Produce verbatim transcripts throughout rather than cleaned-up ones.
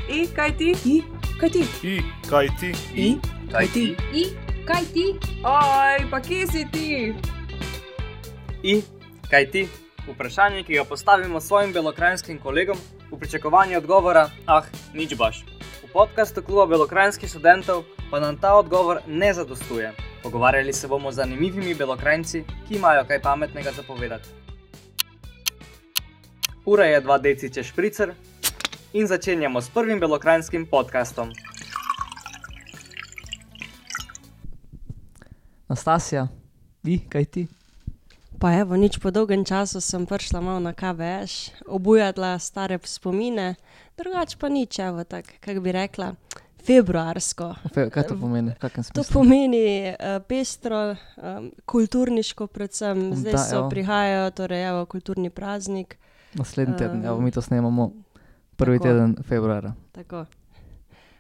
I, kaj ti? I, kaj ti? I, kaj ti? I, kaj ti? I, kaj ti? Oj, pa kje si ti? I, kaj ti? Vprašanje, ki ga postavimo svojim belokranjskim kolegom v pričakovanju odgovora, ah, nič baš. V podcastu kluba belokranjskih študentov pa nam ta odgovor ne zadostuje. Pogovarjali se bomo z zanimivimi belokranjci, ki imajo kaj pametnega za povedati. Ura je dva deciče špricer in začenjamo s prvim belokranjskim podcastom. Nastasja, I, kaj ti? Pa evo, nič po dolgem času sem prišla malo na K B S, obujala stare spomine, drugače pa nič, evo, tak, kako bi rekla, februarsko. Fe, kaj to pomeni? V kakem To smislu? pomeni uh, pestro, um, kulturniško predvsem, zdaj Da, so evo. prihajajo, torej evo, kulturni praznik, Naslednji teden, Um, evo, mi to snemamo prvi tako. teden februarja. tako.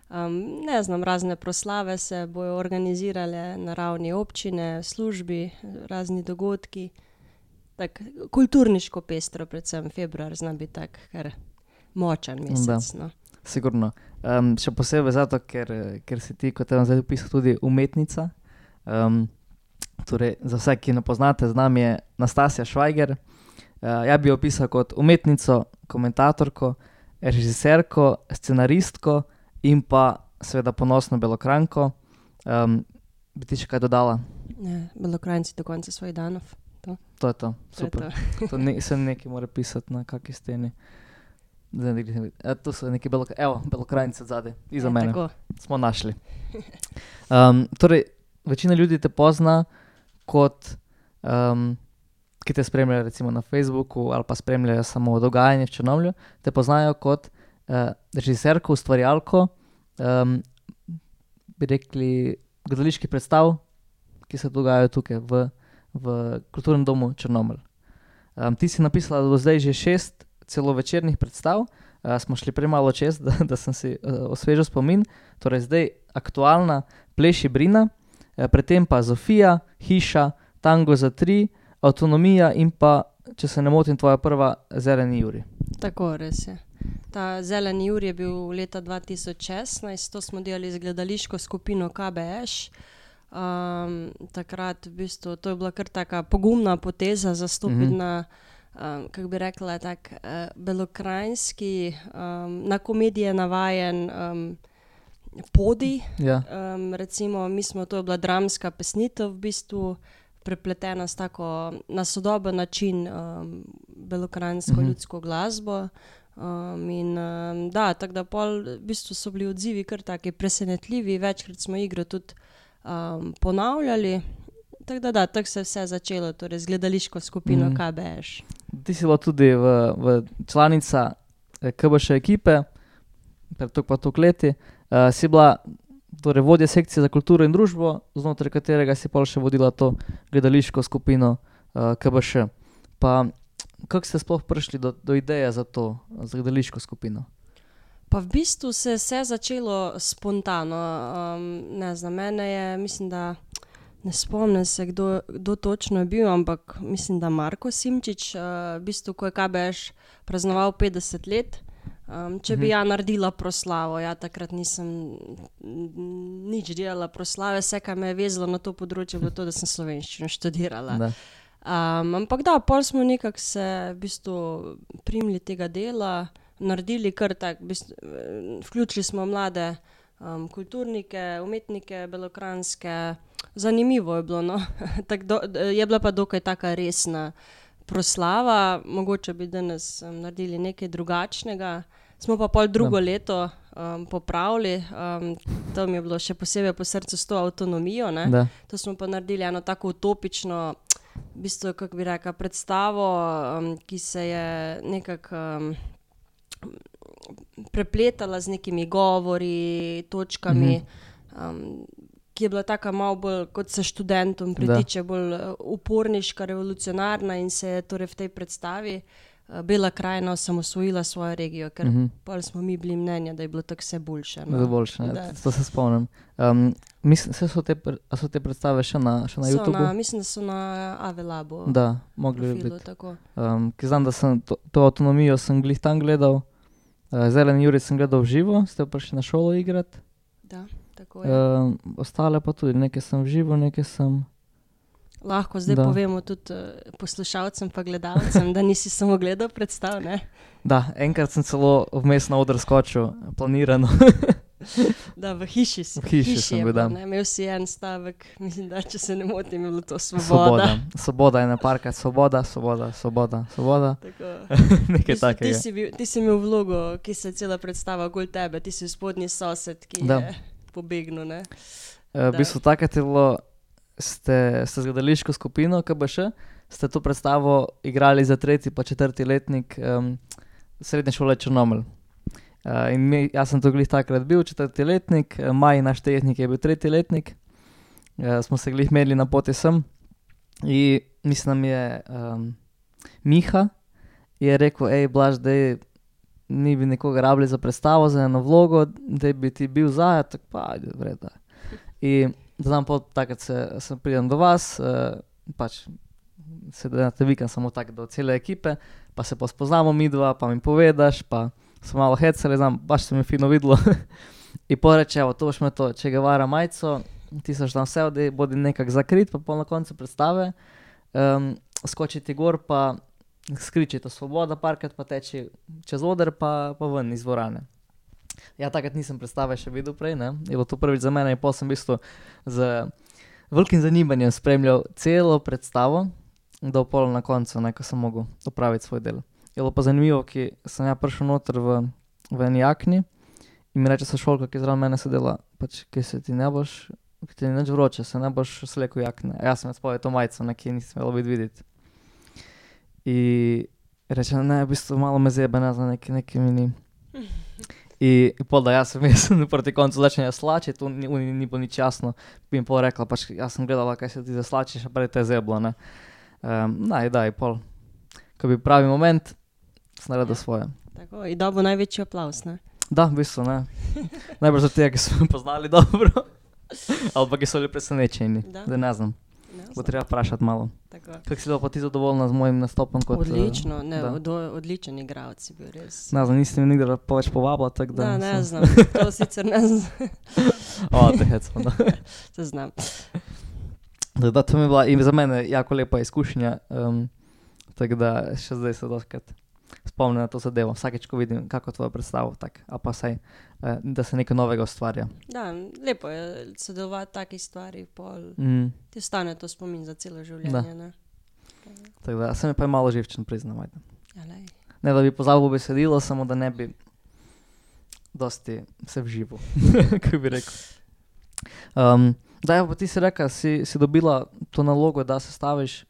Um, ne znam, razne proslave se bojo organizirale na ravni občine, službi, razni dogodki. Tak, kulturniško pestro, predvsem februar zna biti tak, kar močan mesec. No. Sigurno. Um, še posebej zato, ker, ker si ti, kot je zdaj opisal, tudi umetnica. Um, torej, za vse, ki ne poznate, z nami je Nastasja Švajger. Uh, ja bi jo opisal kot umetnico, komentatorko, režiserko, scenaristko in pa seveda ponosno belokranjko. Um, bi ti še kaj dodala? Ne, Belokranjci do konca svojih danov. To je to, To je super. to. To ne, se nekaj mora pisati na kakšni steni. Zdaj ne vidim. E, tu so neki belok... Evo, belokranjci odzadaj, iza Ja, mene. tako. Smo našli. Um, torej, večina ljudi te pozna kot, um, ki te spremljajo recimo na Facebooku ali pa spremljajo samo dogajanje v Črnomlju, te poznajo kot uh, režiserko, ustvarjalko, um, bi rekli, gledaliških predstav, ki se dogajajo tukaj v, v Kulturnem domu Črnomelj. Um, ti si napisala do zdaj že šest celovečernih predstav, uh, smo šli premalo čez, da, da sem si uh, osvežil spomin. Torej zdaj aktualna Pleši Brina, uh, predtem pa Zofija, Hiša, Tango za tri, Avtonomija in pa, če se ne motim, tvoja prva Zeleni Juri. Tako, res je. Ta Zeleni Jur je bil leta dva tisoč šestnajst, to smo delali z gledališko skupino K B S. Um, takrat v bistvu to je bila kar taka pogumna poteza zastopiti Mhm. na, um, kako bi rekla, tak uh, belokranjski, um, na komedije navajen um, podij. Ja. Um, recimo, mi smo, to je bila dramska pesnitev v bistvu, prepletena s tako na sodoben način um, belokranjsko Mhm. ljudsko glasbo. Um, in um, da, tako da pol v bistvu so bili odzivi kar taki presenetljivi, večkrat smo igro tudi um, ponavljali. Tako da da, tako se je vse začelo, torej z gledališko skupino Mhm. K B S. Ti si bila tudi v, v članica eh, K B Š ekipe, pred toliko pa toliko leti. Uh, si bila torej vodja sekcije za kulturo in družbo, znotraj katerega si pol še vodila to gledališko skupino uh, K B Š. Pa kako ste sploh prišli do, do ideje za to, za gledališko skupino? Pa v bistvu se je vse začelo spontano. Um, ne znam, mene je, mislim, da ne spomnim se, kdo, kdo točno je bil, ampak mislim, da Marko Simčič, uh, v bistvu, ko je K B S praznoval petdeset let, um, če bi Mhm. ja naredila proslavo, ja takrat nisem mm, nič delala proslave, vse, kar me je vezalo na to področje, je bilo to, da sem slovenščino študirala. Da. Um, ampak da, pol smo nekako se v bistvu primili tega dela, naredili kar tak, v bistvu, eh, vključili smo mlade um, kulturnike, umetnike belokranjske, zanimivo je bilo, no. Tak do, je bila pa dokaj taka resna proslava, mogoče bi danes um, naredili nekaj drugačnega. Smo pa pol drugo Ja. leto um, popravili, um, to mi je bilo še posebej po srcu s to avtonomijo, ne. Da. To smo pa naredili eno tako utopično, v bistvu, kako bi rekla, predstavo, um, ki se je nekako um, prepletala z nekimi govori, točkami, um, ki je bila taka malo bolj, kot se študentom pritiče, bolj uh, uporniška, revolucionarna in se je torej v tej predstavi uh, Bela krajina osamosvojila svojo regijo, ker Mhm. pol smo mi bili mnenja, da je bilo tako vse boljše. no. No. Boljše, ne? Da. To se spomnim. Um, mislim, se so te, pre- a so te predstave še na, še na So YouTubu? na, mislim, da so na Ave Labu Da, mogli bi profilu, biti. tako. Um, ki znam, da sem to, to avtonomijo sem glih tam gledal, Uh, Zeleni Jurij sem gledal v živo, ste prišli na šolo igrati. Da, tako je. Uh, ostale pa tudi, nekaj sem v živo, nekaj sem... Lahko zdaj Da. povemo tudi uh, poslušalcem pa gledalcem, da nisi samo gledal predstav, ne? Da, enkrat sem celo vmes na oder skočil, planirano. Da, v hiši si. V hiši sem je bil, bilo, da. ne? Imel si en stavek, mislim, da če se ne motim, je bilo to svoboda. Svoboda. Svoboda je naparka, svoboda, svoboda, svoboda, svoboda. Tako. Nekaj Ti, takega. si bil, ti si imel vlogo, ki se cela predstava okoli tebe, ti si spodnji sosed, ki Da. je pobegnil, ne? Uh, v bistvu takrat je bilo, ste, ste z gledališko skupino K B Š, ste to predstavo igrali za tretji pa četrti letnik um, srednje šole Črnomelj. Uh, in mi, jaz sem to glih takrat bil, četrti letnik, uh, Maj, naš tehnik, je bil tretji letnik. Uh, smo se glih medli na poti sem. In mislim, je um, Miha je rekel, ej, Blaž, dej, ni bi nekoga rabili za predstavo, za eno vlogo, da bi ti bil zaja, tako pa, ajde, vred, da. In da znam pot, takrat se, se pridem do vas, uh, pač se da na te vikend samo tako do cele ekipe, pa se pa spoznamo mi dva, pa mi povedaš, pa smo malo hecali, znam, baš se mi fino videlo. In poreče, evo, to boš me to, Che Guevara majico, ti saš tam vse, da bodi nekak zakrit, pa pol na koncu predstave, um, skoči ti gor, pa skriči to svoboda parkrat, pa teči čez oder, pa, pa ven iz dvorane. Ja, takrat nisem predstave še videl prej, ne, je bilo to prvič za mene in pol sem v bistvu z velikim zanimanjem spremljal celo predstavo, do pol na koncu, ne, ko sem mogel opraviti svoj del. Je bilo pa zanimivo, ki sem ja prišel noter v, v eni jakni in mi reče sošolka, ki je zraven mene sedela, pač, ki se ti ne boš, ki ti ni nič vroče, se ne boš slekel jakne. A jaz sem jaz povedal to majico, nekje nisem smelo biti videti. In reče, ne, v bistvu malo me zebe, ne znam, nekaj, nekaj mi ni. In, in pol da jaz sem jaz proti koncu začenja slačiti, tu ni, ni, ni bilo nič jasno, bi jim pol rekla, pač jaz sem gledala, kaj se ti zaslačiš, a prej te je zeblo, ne. Um, naj, daj, pol. Ko bi pravi moment, sem naredil svoje. Tako, in dobil največji aplaus, ne? Da, v bistvu, ne. Najbolj za tega, ki so me poznali dobro, ali pa ki so bili presenečeni, Da. da ne znam. Ne, Bo treba vprašati malo. tako. Kako si bila pa ti zadovoljna z mojim nastopom? Kot, Odlično, ne, da. od, odličen igralec si bil res. Ne znam, niste mi nikdar pa več povabila, tako da... Da, ne sem- znam, to sicer ne znam, O, te hecam, da. se znam. Da, da, to mi je bila in za mene jako lepa izkušnja, um, tako da še zdaj se doskrat spomnim na to zadevo. Vsakeč, ko vidim kako tvojo predstavo, tak, a pa saj, eh, da se nekaj novega ustvarja. Da, lepo je sodelovati v takih stvari, pol Mm, ti ostane to spomin za celo življenje, ne? tako da, sem je pa je malo živčen, priznam, ajde. Ja, lej. Ne, da bi pozabil besedilo, samo da ne bi dosti se vživel, kako bi rekel. Um, da, ja, pa ti si rekla, si, si dobila to nalogo, da sestaviš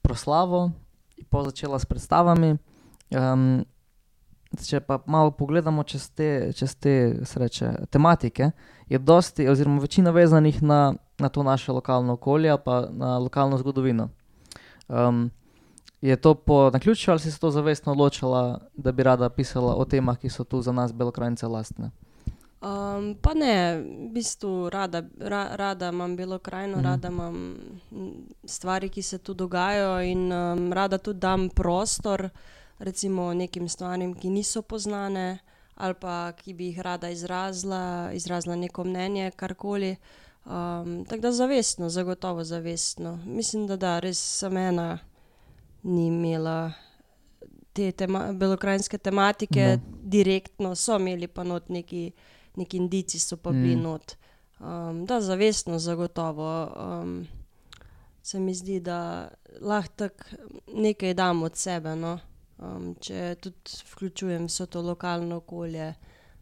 proslavo in pol začela s predstavami. Um, če pa malo pogledamo čez te, čez te sreče, tematike, je dosti, oziroma večina vezanih na, na to naše lokalno okolje ali pa na lokalno zgodovino. Um, je to po naključju ali si se to zavestno odločila, da bi rada pisala o temah, ki so tu za nas Belokranjce lastne? Um, pa ne, v bistvu rada, ra, rada imam Belokranjino, Mhm. rada imam m, stvari, ki se tu dogajajo in um, rada tudi dam prostor recimo nekim stvarem, ki niso poznane ali pa ki bi jih rada izrazila, izrazila neko mnenje, karkoli. Um, tako da zavestno, zagotovo zavestno. Mislim, da da, res sem ena ni imela te tema, belokranjske tematike Da. direktno, so imeli pa not neki, neki indici so pa bili Mm. not. Um, da, zavestno, zagotovo. Um, se mi zdi, da lahko tako nekaj dam od sebe, no. Um, če tudi vključujem vso to lokalno okolje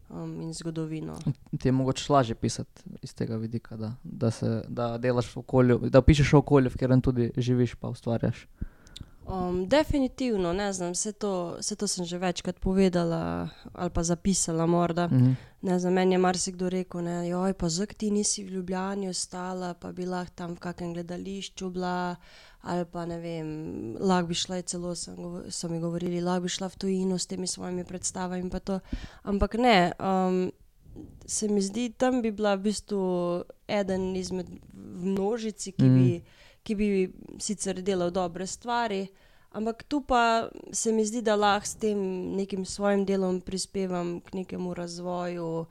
um, in zgodovino. Ti je mogoče lažje pisati iz tega vidika, da, da, se, da delaš v okolju, da pišeš v okolju, v katerem tudi živiš pa ustvarjaš. Um, definitivno, ne znam, vse to, vse to sem že večkrat povedala ali pa zapisala morda. Mhm. Ne znam, meni je marsikdo rekel, ne, joj, pa zak ti nisi v Ljubljani ostala, pa bi lahko tam v kakem gledališču bila, ali pa ne vem, lahko bi šla, celo sem govo- so mi govorili, lahko bi šla v tujino s temi svojimi predstavami in pa to. Ampak ne, um, se mi zdi, tam bi bila v bistvu eden izmed v množici, ki Mm. bi, ki bi sicer delal dobre stvari, ampak tu pa se mi zdi, da lahko s tem nekim svojim delom prispevam k nekemu razvoju,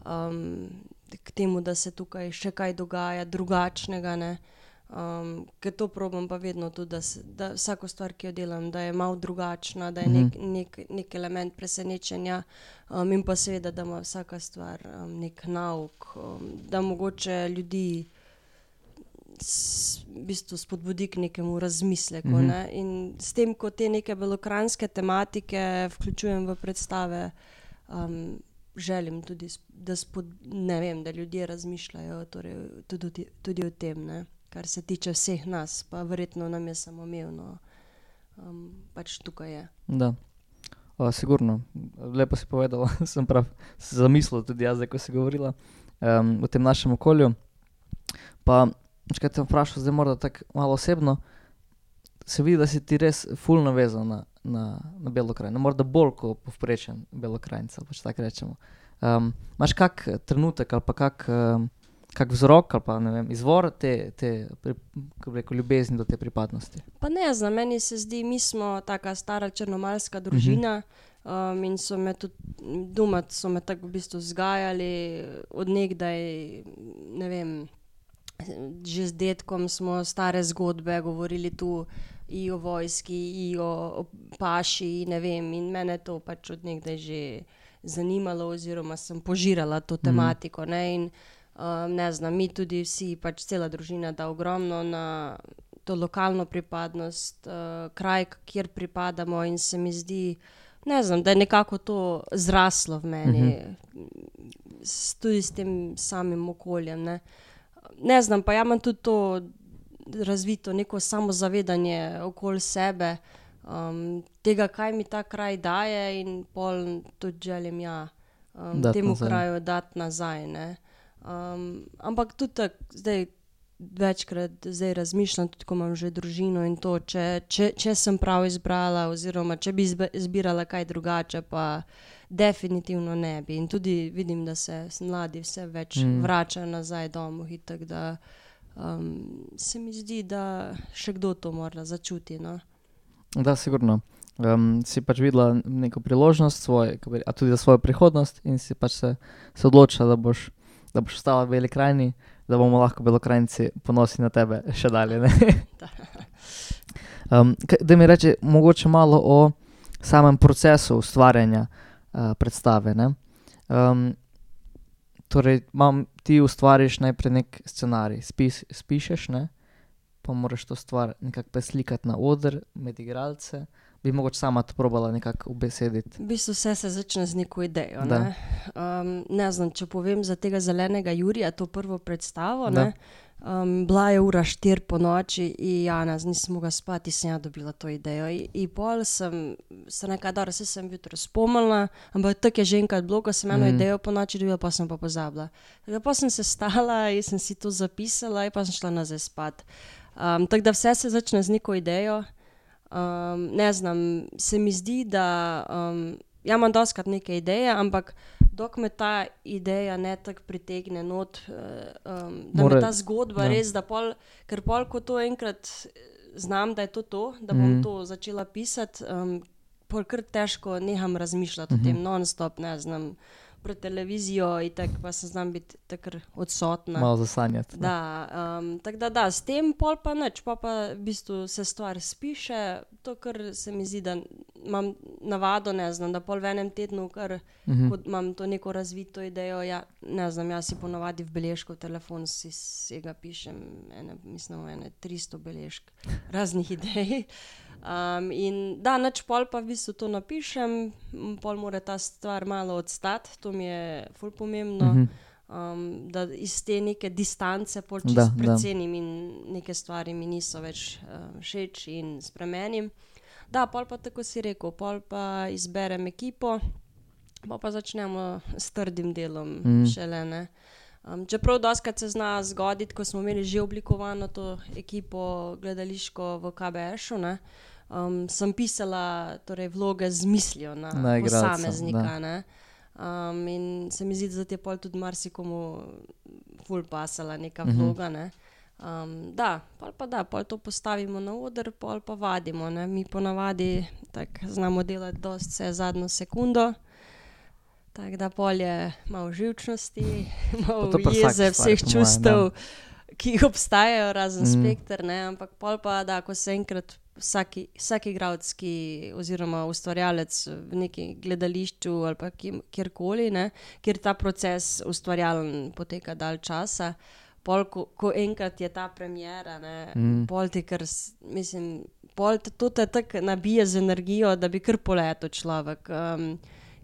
um, k temu, da se tukaj še kaj dogaja drugačnega, ne. Um, ker to probam pa vedno tudi, da, se, da vsako stvar, ki jo delam, da je malo drugačna, da je nek, nek, nek element presenečenja, um, in pa seveda, da ima vsaka stvar um, nek nauk, um, da mogoče ljudi s, v bistvu spodbudi k nekemu razmisleku, Mhm. ne. In s tem, ko te neke belokranjske tematike vključujem v predstave, um, želim tudi, sp- da, spod, ne vem, da ljudje razmišljajo torej, tudi, o te- tudi o tem, ne. Kar se tiče vseh nas, pa verjetno nam je samoumevno, um, pač tukaj je. Da. O, sigurno. Lepo si povedala, sem prav se zamislil tudi jaz, zdaj, ko si govorila um, o tem našem okolju. Pa, če kaj te vprašal, zdaj morda tako malo osebno, se vidi, da si ti res ful navezan na, na, na Belo krajino, morda bolj kot povprečen Belokranjec, ali pač tako rečemo. Um, imaš kak trenutek ali pa kak, um, kak vzrok ali pa ne vem, izvor te, te pri, kako bi rekel, ljubezni do te pripadnosti? Pa ne znam, meni se zdi, mi smo taka stara črnomaljska družina, um, in so me tudi doma so me tako v bistvu vzgajali od nekdaj, ne vem, že z dedkom smo stare zgodbe govorili tu i o vojski, i o, o paši, ne vem, in mene to pač od nekdaj že zanimalo oziroma sem požirala to tematiko, ne, in um, ne znam, mi tudi vsi, pač cela družina da ogromno na to lokalno pripadnost, uh, kraj, kjer pripadamo, in se mi zdi, ne znam, da je nekako to zraslo v meni, s, tudi s tem samim okoljem, ne. Ne znam, pa ja imam tudi to razvito neko samozavedanje okoli sebe, um, tega, kaj mi ta kraj daje, in pol tudi želim, ja, um, Dati temu nazaj. kraju dati nazaj, ne. Um, ampak tudi tako, zdaj večkrat zdaj razmišljam, tudi ko imam že družino in to, če, če, če sem prav izbrala oziroma če bi izbe- izbirala kaj drugače, pa definitivno ne bi. In tudi vidim, da se s- mladi vse več Mm. vračajo nazaj domov, itak da um, se mi zdi, da še kdo to mora začuti, no. Da, sigurno. Um, si pač videla neko priložnost svoj, kako bi re- a tudi za svojo prihodnost in si pač se, se odločila, da boš, da boš ostala v Beli krajini, da bomo lahko Belokranjci ponosni na tebe še dalje, ne? um, kaj, da mi reče mogoče malo o samem procesu ustvarjanja uh, predstave, ne? Um, torej, mam, ti ustvariš najprej nek scenarij, spis, spišeš, ne? Pa moraš to stvar nekako preslikati na oder, med igralce. Bi mogoče sama to probala nekako ubesediti. V bistvu vse se začne z neko idejo, Da. ne. Um, ne znam, če povem za tega Zelenega Jurija, to prvo predstavo, Da. ne. Um, bila je ura štiri po noči in Janez, nisem mogla spati, sem ja dobila to idejo. In, in pol sem se nekaj, dobro, saj sem jutro spomnila, ampak tako je že enkrat bilo, ko sem eno Mhm. idejo po noči dobila, pa sem pa pozabila. Tako da pa sem se stala in sem si to zapisala in pa sem šla nazaj spat. Um, tako da vse se začne z neko idejo. Um, ne znam, se mi zdi, da um, ja imam dostikrat neke ideje, ampak dokler me ta ideja ne tako pritegne not, uh, um, da Mora- me ta zgodba ja. res, da pol, ker pol, ko to enkrat eh, znam, da je to to, da bom Mhm. to začela pisati, um, pol kar težko neham razmišljati o tem non-stop, ne znam, pred televizijo in tako pa se znam biti takrat odsotna. Malo zasanjati. ne. Da, um, tako da da, s tem pol pa nič, pol pa v bistvu se stvar spiše, to kar se mi zdi, da imam navado, ne znam, da pol v enem tednu kar, Mhm. ko imam to neko razvito idejo, ja, ne znam, jaz si ponavadi v beležko v telefon si vsega pišem, ene, mislim, ene tristo beležk raznih idej. Um, in da, nič pol pa v bistvu to napišem, m, pol mora ta stvar malo odstati, to mi je ful pomembno. Mhm. Um, da iz te neke distance pol Da, čisto da. precenim in neke stvari mi niso več uh, všeč in spremenim. Da, pol pa tako si rekel, pol pa izberem ekipo, pol pa začnemo s trdim delom Mm. šele, ne. Um, čeprav dostikrat se zna zgoditi, ko smo imeli že oblikovano to ekipo gledališko v K B S-u, ne, um, sem pisala torej vloge z mislijo na, Na igralca, posameznika, ne. Um, in se mi zdi, da ti je pol tudi marsikomu ful pasala neka Mhm. vloga, ne. Um, da, pol pa da, pol to postavimo na oder, pol pa vadimo, ne. Mi ponavadi tako znamo delati dosti vse zadnjo sekundo, tako da pol je malo živčnosti, malo Pa to pri vsaki jeze, stvari, vseh po mojem, čustev, ki jih obstajajo, razen Mm. spekter, ne, ampak pol pa da, ko se enkrat vsaki, vsak igralec, ki oziroma ustvarjalec v neki gledališču ali pa kje, kjerkoli, ne, kjer ta proces ustvarjalen poteka dalj časa, pol, ko, ko enkrat je ta premiera, ne, Mm. pol ti kar, s- mislim, pol te, to te tako nabije z energijo, da bi kar poletel človek, um,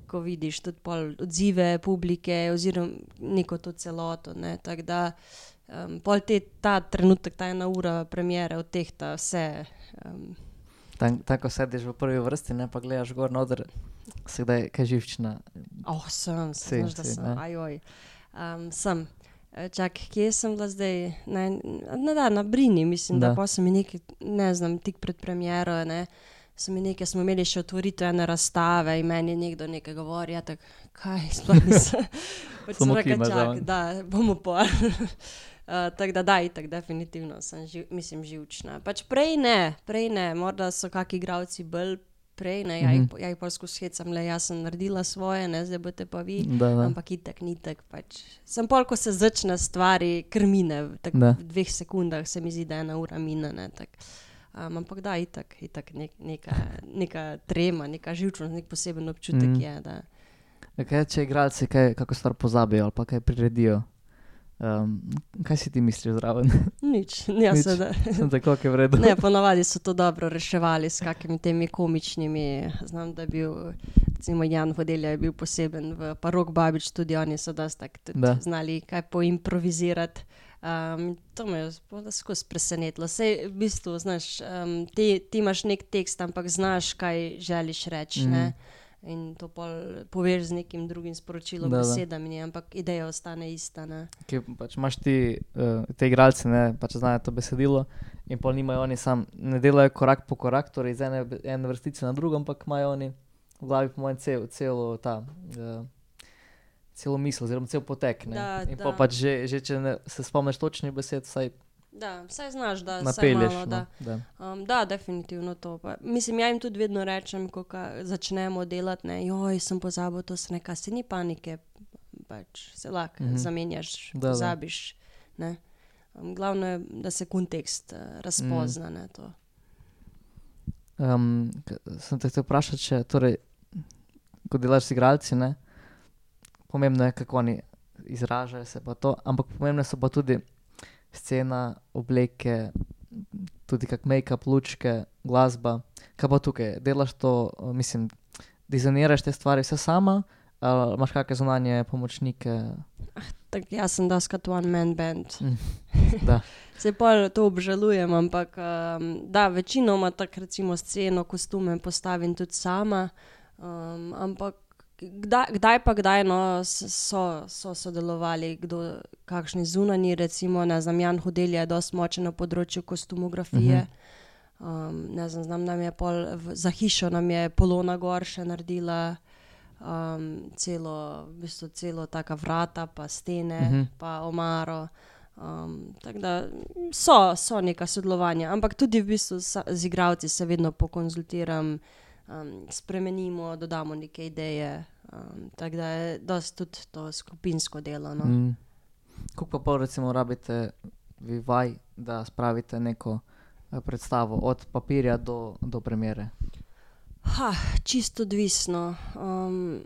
ko vidiš tudi pol odzive publike oziroma neko to celoto, ne, tako da um, pol te, ta trenutek, ta ena ura premiere odtehta vse. Um, Tam, tam, ko sediš v prvi vrsti, ne, pa gledaš gor na oder, se kdaj kaj živčna. oh, sem, Si, sem, znaš, da si, sem, ne. ajoj. Um, sem. E, Čak, kje sem bila zdaj? Na, na, da, na Brini, mislim, da, Da. da pa sem mi nekaj, ne znam, tik pred premiero, ne, so mi nekaj, smo imeli še otvoritev ene razstave in meni nekdo nekaj govori, ja, tak, kaj, sploh nisem. Pač sem Samo rekla, kima čak, zraven. da, bomo pol. Uh, tako da, da, itak, definitivno sem, živ, mislim, živčna. Pač prej ne, prej ne, morda so kaki igralci bolj prej, ne, ja, Mhm. jih, ja jih pol skozi hecam, le, jaz sem naredila svoje, ne, zdaj boste pa vi. Da, da. Ampak itak, ni tak pač. Sem pol, ko se začne stvari, kar mine, tako Da. v dveh sekundah se mi zdi, da ena ura mine, ne, tak. Um, ampak da, itak, itak nek, neka, neka trema, neka živčnost, nek poseben občutek Mhm. je, da. Ja, kaj, če igralci kaj, kako stvar pozabijo ali pa kaj priredijo, um, kaj si ti misliš zraven? Nič, ja, Nič. seveda. Sem tako, je v redu. Ne, ponavadi so to dobro reševali s kakimi temi komičnimi, znam, da je bil, recimo Jan Vodelja je bil poseben, v pa Rok Babič tudi, oni so dosti tako tudi Da. znali kaj poimprovizirati. Um, to me je sploh skozi presenetilo. Sej v bistvu, znaš, um, ti, ti imaš nek tekst, ampak znaš, kaj želiš reči, Mhm. ne? In to pol poveš z nekim drugim sporočilom, Da, da. besedami, ampak ideja ostane ista, ne? Ki pač imaš ti, uh, te igralci, ne, pač znajo to besedilo in pol nimajo oni sam, ne delajo korak po korak, torej iz ene, ene vrstice na drugo, ampak imajo oni v glavi po mojem cel, celo ta, uh, celo misel, oziroma cel potek, ne. Da, in da. pol pač že, že če ne, se spomniš točnih besed, vsaj Da, vsaj znaš, da vsaj napelješ. malo, No, da. da. Um, da, definitivno to. Pa, mislim, ja jim tudi vedno rečem, ko ka, začnemo delati, ne, joj, sem pozabil to, se neka, se ni panike, pač se lahko Mhm. zamenjaš, Da, da. pozabiš, ne. Um, glavno je, da se kontekst uh, razpozna, ne, to. Um, k- sem te hotel vprašati, če, torej, ko delaš z igralci, ne, pomembno je, kako oni izražajo se pa to, ampak pomembne so pa tudi scena, obleke, tudi kak make-up, lučke, glasba. Kaj pa tukaj? Delaš to, uh, mislim, dizajniraš te stvari vse sama, ali imaš kakšne zunanje pomočnike? Tak, jaz sem doskrat one man band. Mm, da. Se pol to obžalujem, ampak um, da, večinoma tako recimo sceno, kostume postavim tudi sama, um, ampak kdaj, kdaj pa kdaj no, s- so, so sodelovali kdo, kakšni zunanji, recimo, ne znam, Jan Hodelja je dosti močen na področju kostumografije. Um, ne znam, znam, nam je pol, v, za hišo nam je Polona Gor še naredila um, celo, v bistvu celo taka vrata, pa stene, Mhm. pa omaro. Um, tako da so, so neka sodelovanja, ampak tudi v bistvu sa, z igralci se vedno pokonzultiram, um, spremenimo, dodamo neke ideje. Um, tako da je dosti tudi to skupinsko delo. No. Mm. Koliko pa pol recimo rabite vi vaj, da spravite neko eh, predstavo od papirja do, do premiere? Ha, čisto odvisno. Um,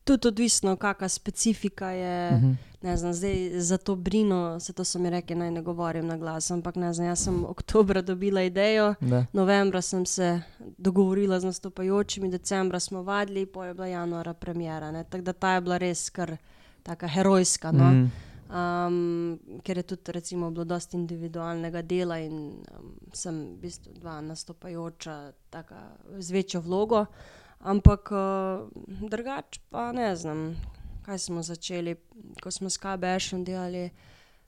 tudi odvisno, kakšna specifika je. Mhm. Ne znam, zdaj za to Brino, se to so mi rekli, naj ne govorim na glas, ampak ne znam, jaz sem oktobra dobila idejo, Da. novembra sem se dogovorila z nastopajočimi, decembra smo vadili, pol je bila januara premiera, ne, tako da ta je bila res kar taka herojska, no. Mm. Um, ker je tudi recimo bilo dosti individualnega dela in um, sem v bistvu dva nastopajoča taka z večjo vlogo, ampak uh, drugače pa ne znam, kaj smo začeli, ko smo s K B S-om delali,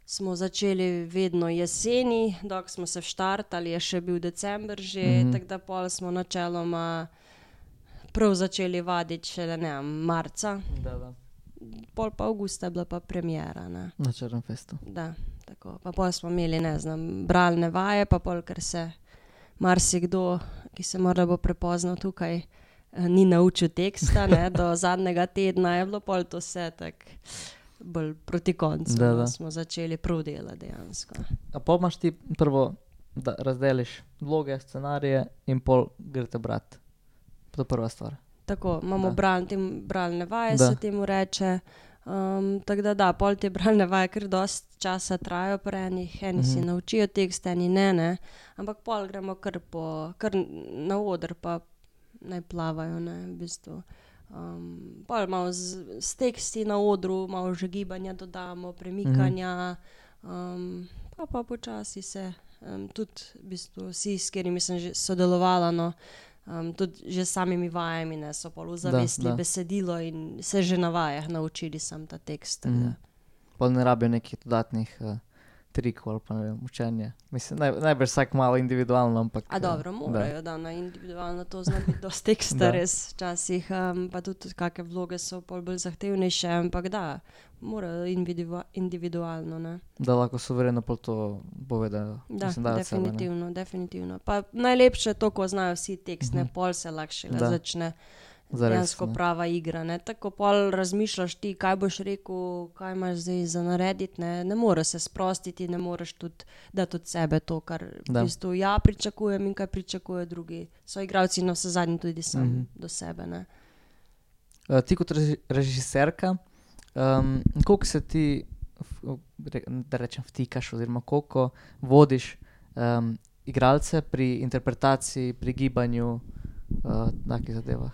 smo začeli vedno jeseni, dok smo se vštartali, je še bil december že, Mhm. mm-hmm. tako da pol smo načeloma prav začeli vaditi šele, ne vem, marca, Da, da. pol pa avgusta je bila pa premiera, ne. Na Črnem festu. Da, tako. Pa pol smo imeli, ne znam, bralne vaje, pa pol, ker se marsikdo, ki se morda bo prepoznal tukaj, ni naučil teksta, ne, do zadnjega tedna je bilo pol to vse tak bolj proti koncu, Da, no, da. smo začeli prav delati dejansko. A pol imaš ti prvo, da razdeliš vloge, scenarije in pol greste brat. To je prva stvar. Tako, imamo Da. bral, tem, bralne vaje, Da. se temu reče. Um, tako da da, pol te bralne vaje kar dost časa trajajo pri enih, eni si Mhm. naučijo tekst, eni ne, ne. Ampak pol gremo kar, po, kar na oder, pa naj plavajo, ne, v bistvu. Um, pol malo z, s teksti na odru, malo že gibanja dodamo, premikanja, um, pa pa počasi se um, tudi v bistvu vsi, s katerimi sem že sodelovala, no, um, tudi že s samimi vajami, ne, so pol ozavestili da. besedilo in se že na vajah naučili sam ta tekst. tako da. Mhm. Pol ne rabijo nekih dodatnih uh, trikov ali pa ne vem, učenja. Mislim, naj, najbrž vsak malo individualno, ampak... A eh, dobro, da. morajo, da, na individualno to zna biti dosti teksta Da. res včasih, um, pa tudi kakšne vloge so pol bolj zahtevnejše, ampak da, morajo individua- individualno, ne. Da lahko suvereno pol to povedajo. Da, Mislim, dajo od sebe, ne. definitivno, definitivno. Pa najlepše je to, ko znajo vsi tekst, ne, Mhm. pol se lahko šele Da. začne Zares, dejansko ne. prava igra, ne. Tako pol razmišljaš ti, kaj boš rekel, kaj imaš zdaj za narediti, ne. Ne moreš se sprostiti, ne moreš tudi dati od sebe to, kar Da. v bistvu ja pričakujem in kaj pričakujejo drugi. So igralci navsezadnje tudi sam Mhm. do sebe, ne. Uh, ti kot reži- režiserka, um, koliko se ti, v- re, da rečem, vtikaš oziroma koliko vodiš um, igralce pri interpretaciji, pri gibanju, uh, takih zadevah?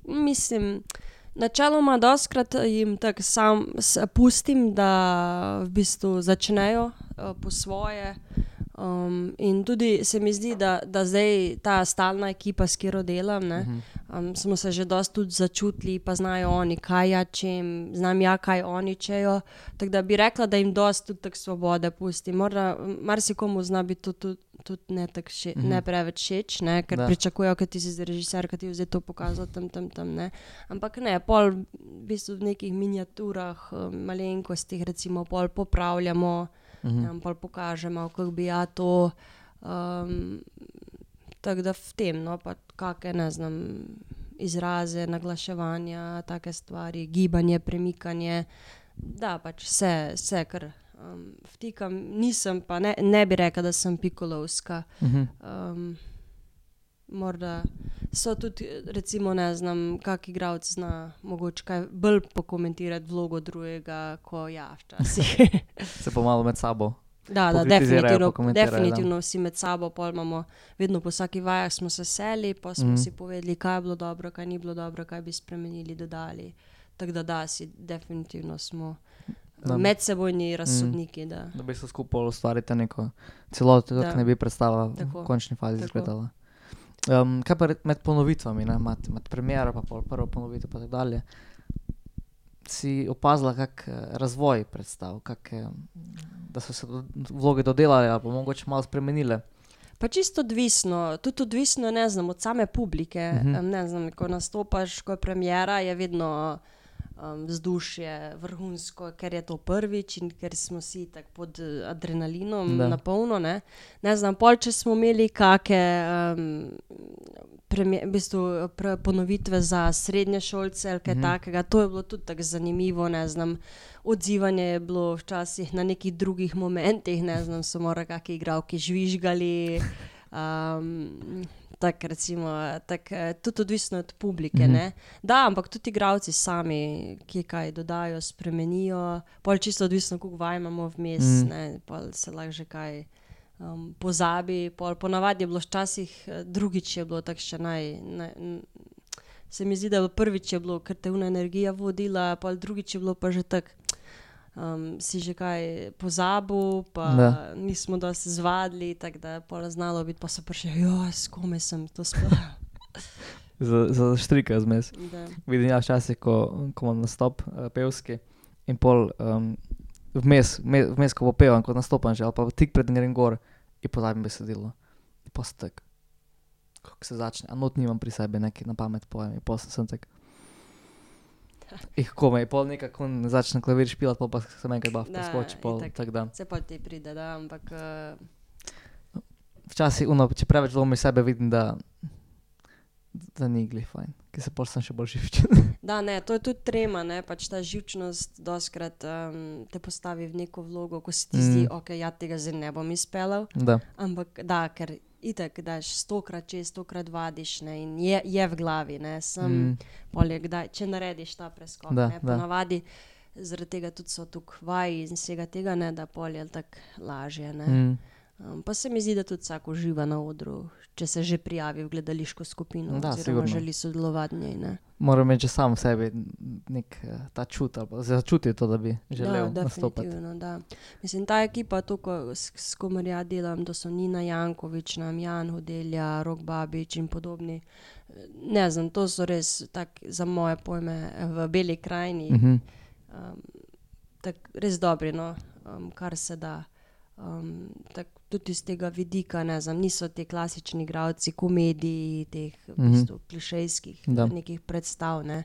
Mislim, načeloma dostikrat jim tako sam s- pustim, da v bistvu začnejo uh, po svoje. Um, in tudi se mi zdi, da, da zdaj ta stalna ekipa, s katero delam, ne, Mhm. um, smo se že dosti tudi začutili, pa znajo oni, kaj ja čem, znam ja, kaj oni čejo. Tako da bi rekla, da jim dosti tudi tako svobode pustim. Morda marsikomu zna biti to tudi tudi ne, tako še, Mhm. ne preveč všeč, ne, ker Da. pričakujejo, ker ti si zdaj režiser, ker ti je zdaj to pokazal tam, tam, tam, ne. Ampak ne, pol v bistvu v nekih miniaturah, um, malenkostih recimo pol popravljamo, Mhm. nam pol pokažemo, kako bi ja to, um, tako da v tem, no, pa kake, ne znam, izraze, naglaševanja, take stvari, gibanje, premikanje, da pač vse, vse kar um, vtikam, nisem pa, ne, ne bi rekla, da sem pikolovska. Mhm. Um, morda so tudi, recimo, ne znam, kak igralec zna mogoče kaj bolj pokomentirati vlogo drugega, ko ja, včasih. Se pa malo med sabo. Da, da, Pokritizirajo, definitivno, pokomentirajo, da. definitivno vsi med sabo, pol imamo, vedno po vsaki vajah smo se seli, pa smo Mhm. si povedali, kaj je bilo dobro, kaj ni bilo dobro, kaj bi spremenili, dodali. Tako da da, si definitivno smo Da. medsebojni razsodniki, da. Da bi se skupaj ustvarite neko celoto, Da. kako ne bi predstava Tako, v končni fazi tako. izgledala. Um, kaj pa re- med ponovitvami, ne, imate med premiero, pa pol prvo ponovitev, pa tako dalje. Si opazila kak eh, razvoj predstav, kak, eh, da so se do, vloge dodelale ali pa mogoče malo spremenile? Pa čisto odvisno, tudi odvisno, ne znam, od same publike. Mhm. Um, ne znam, ko nastopaš, ko je premiera, je vedno um, vzdušje vrhunsko, ker je to prvič in ker smo vsi tako pod eh, adrenalinom Da. na polno, ne. Ne znam, pol, če smo imeli kake um, premie, v bistvu pre, ponovitve za srednješolce ali kaj Mhm. takega, to je bilo tudi tako zanimivo, ne znam. Odzivanje je bilo včasih na nekih drugih momentih, ne znam, so morda kakšni igralki žvižgali, um, tako recimo, tak, eh, tudi odvisno od publike, Mhm. ne. Da, ampak tudi igralci sami, ki kaj dodajo, spremenijo, pol čisto odvisno, koliko vaj imamo vmes, Mhm. ne, pol se lahko že kaj um, pozabi, pol ponavadi je bilo včasih, eh, drugič je bilo tako še naj, naj n- se mi zdi, da je bilo prvič je bilo, ker te una energija vodila, pol drugič je bilo pa že tako, um, si že kaj pozabil, pa Da. nismo dosti zvadili, tako da je pol znalo biti, pa so prišli, jo, s kome sem to sploh. Za, za štrika zmes. Da. Vidim ja včasih, ko, ko imam nastop uh, pevski in pol um, vmes, vmes, vmes, ko popevam, ko nastopam že, ali pa tik pred grem gor in pozabim besedilo. In pa sem tak, kako se začne, a not nimam pri sebi, nekaj na pamet pojem in pol sem tak. Ih, komaj, pol nekako začne klavir špilat, pol pa se enkrat baf Da, preskoči, pol itak. tak da. Se pol ti pride, da, ampak uh, Včasih, ono, če preveč dvomi sebe, vidim, da da ni glih fajn, ker se pol sem še bolj živčen. da, ne, to je tudi trema, ne, pač ta živčnost doskrat um, te postavi v neko vlogo, ko se ti zdi, Mm. ok, ja tega zdaj ne bom izpeljal, Da. ampak da, ker itak daš stokrat čez, stokrat vadiš, ne, in je, je v glavi, ne, sem Mm. pol je kdaj, če narediš ta preskok, Da, ne, da. ponavadi zaradi tega tudi so tukaj vaji in vsega tega, ne, da pol je tako lažje, ne. Mm. Um, pa se mi zdi, da tudi vsak uživa na odru, če se že prijavi v gledališko skupino Da, oziroma sigurno. želi sodelovati v njej, ne. Moram imeti že sam v sebi nek eh, ta čut, ali pa začuti to, da bi želel Da, nastopati. definitivno, da. Mislim, ta ekipa, to, ko, s, s komer ja delam, to so Nina Jankovič, nam Jan Hodelja, Rok Babič in podobni. Ne znam, to so res tak, za moje pojme v Beli krajini, Mhm. um, tak, res dobri, no, um, kar se da. Um, tak, tudi iz tega vidika, ne znam, niso ti klasični igralci komedij, teh v Mhm. bistvu klišejskih Da. nekih predstav, ne.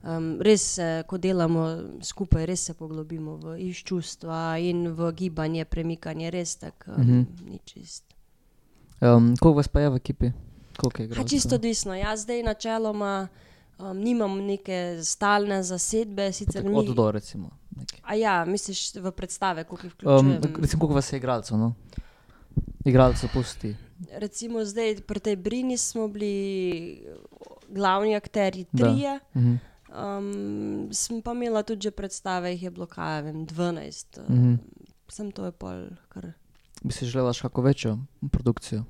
Um, res se, ko delamo skupaj, res se poglobimo v iz čustva in v gibanje, premikanje, res tak, um, Mhm. ni čist. Um, koliko vas pa je v ekipi? Koliko je Ha, igralcev? čisto odvisno. Jaz zdaj načeloma um, nimam neke stalne zasedbe, sicer Tako mi... od do, recimo. Nekaj. A ja, misliš v predstave, koliko jih Um, vključujem? recimo, koliko vas je igralcev, no? Igralcev pusti. Recimo zdaj pri tej Brini smo bili glavni akterji Da. trije, Mhm. um, sem pa imela tudi že predstave, jih je bilo kaj, vem, dvanajst. Mhm. Um, sem to je pol kar... Bi si želela še kako večjo produkcijo?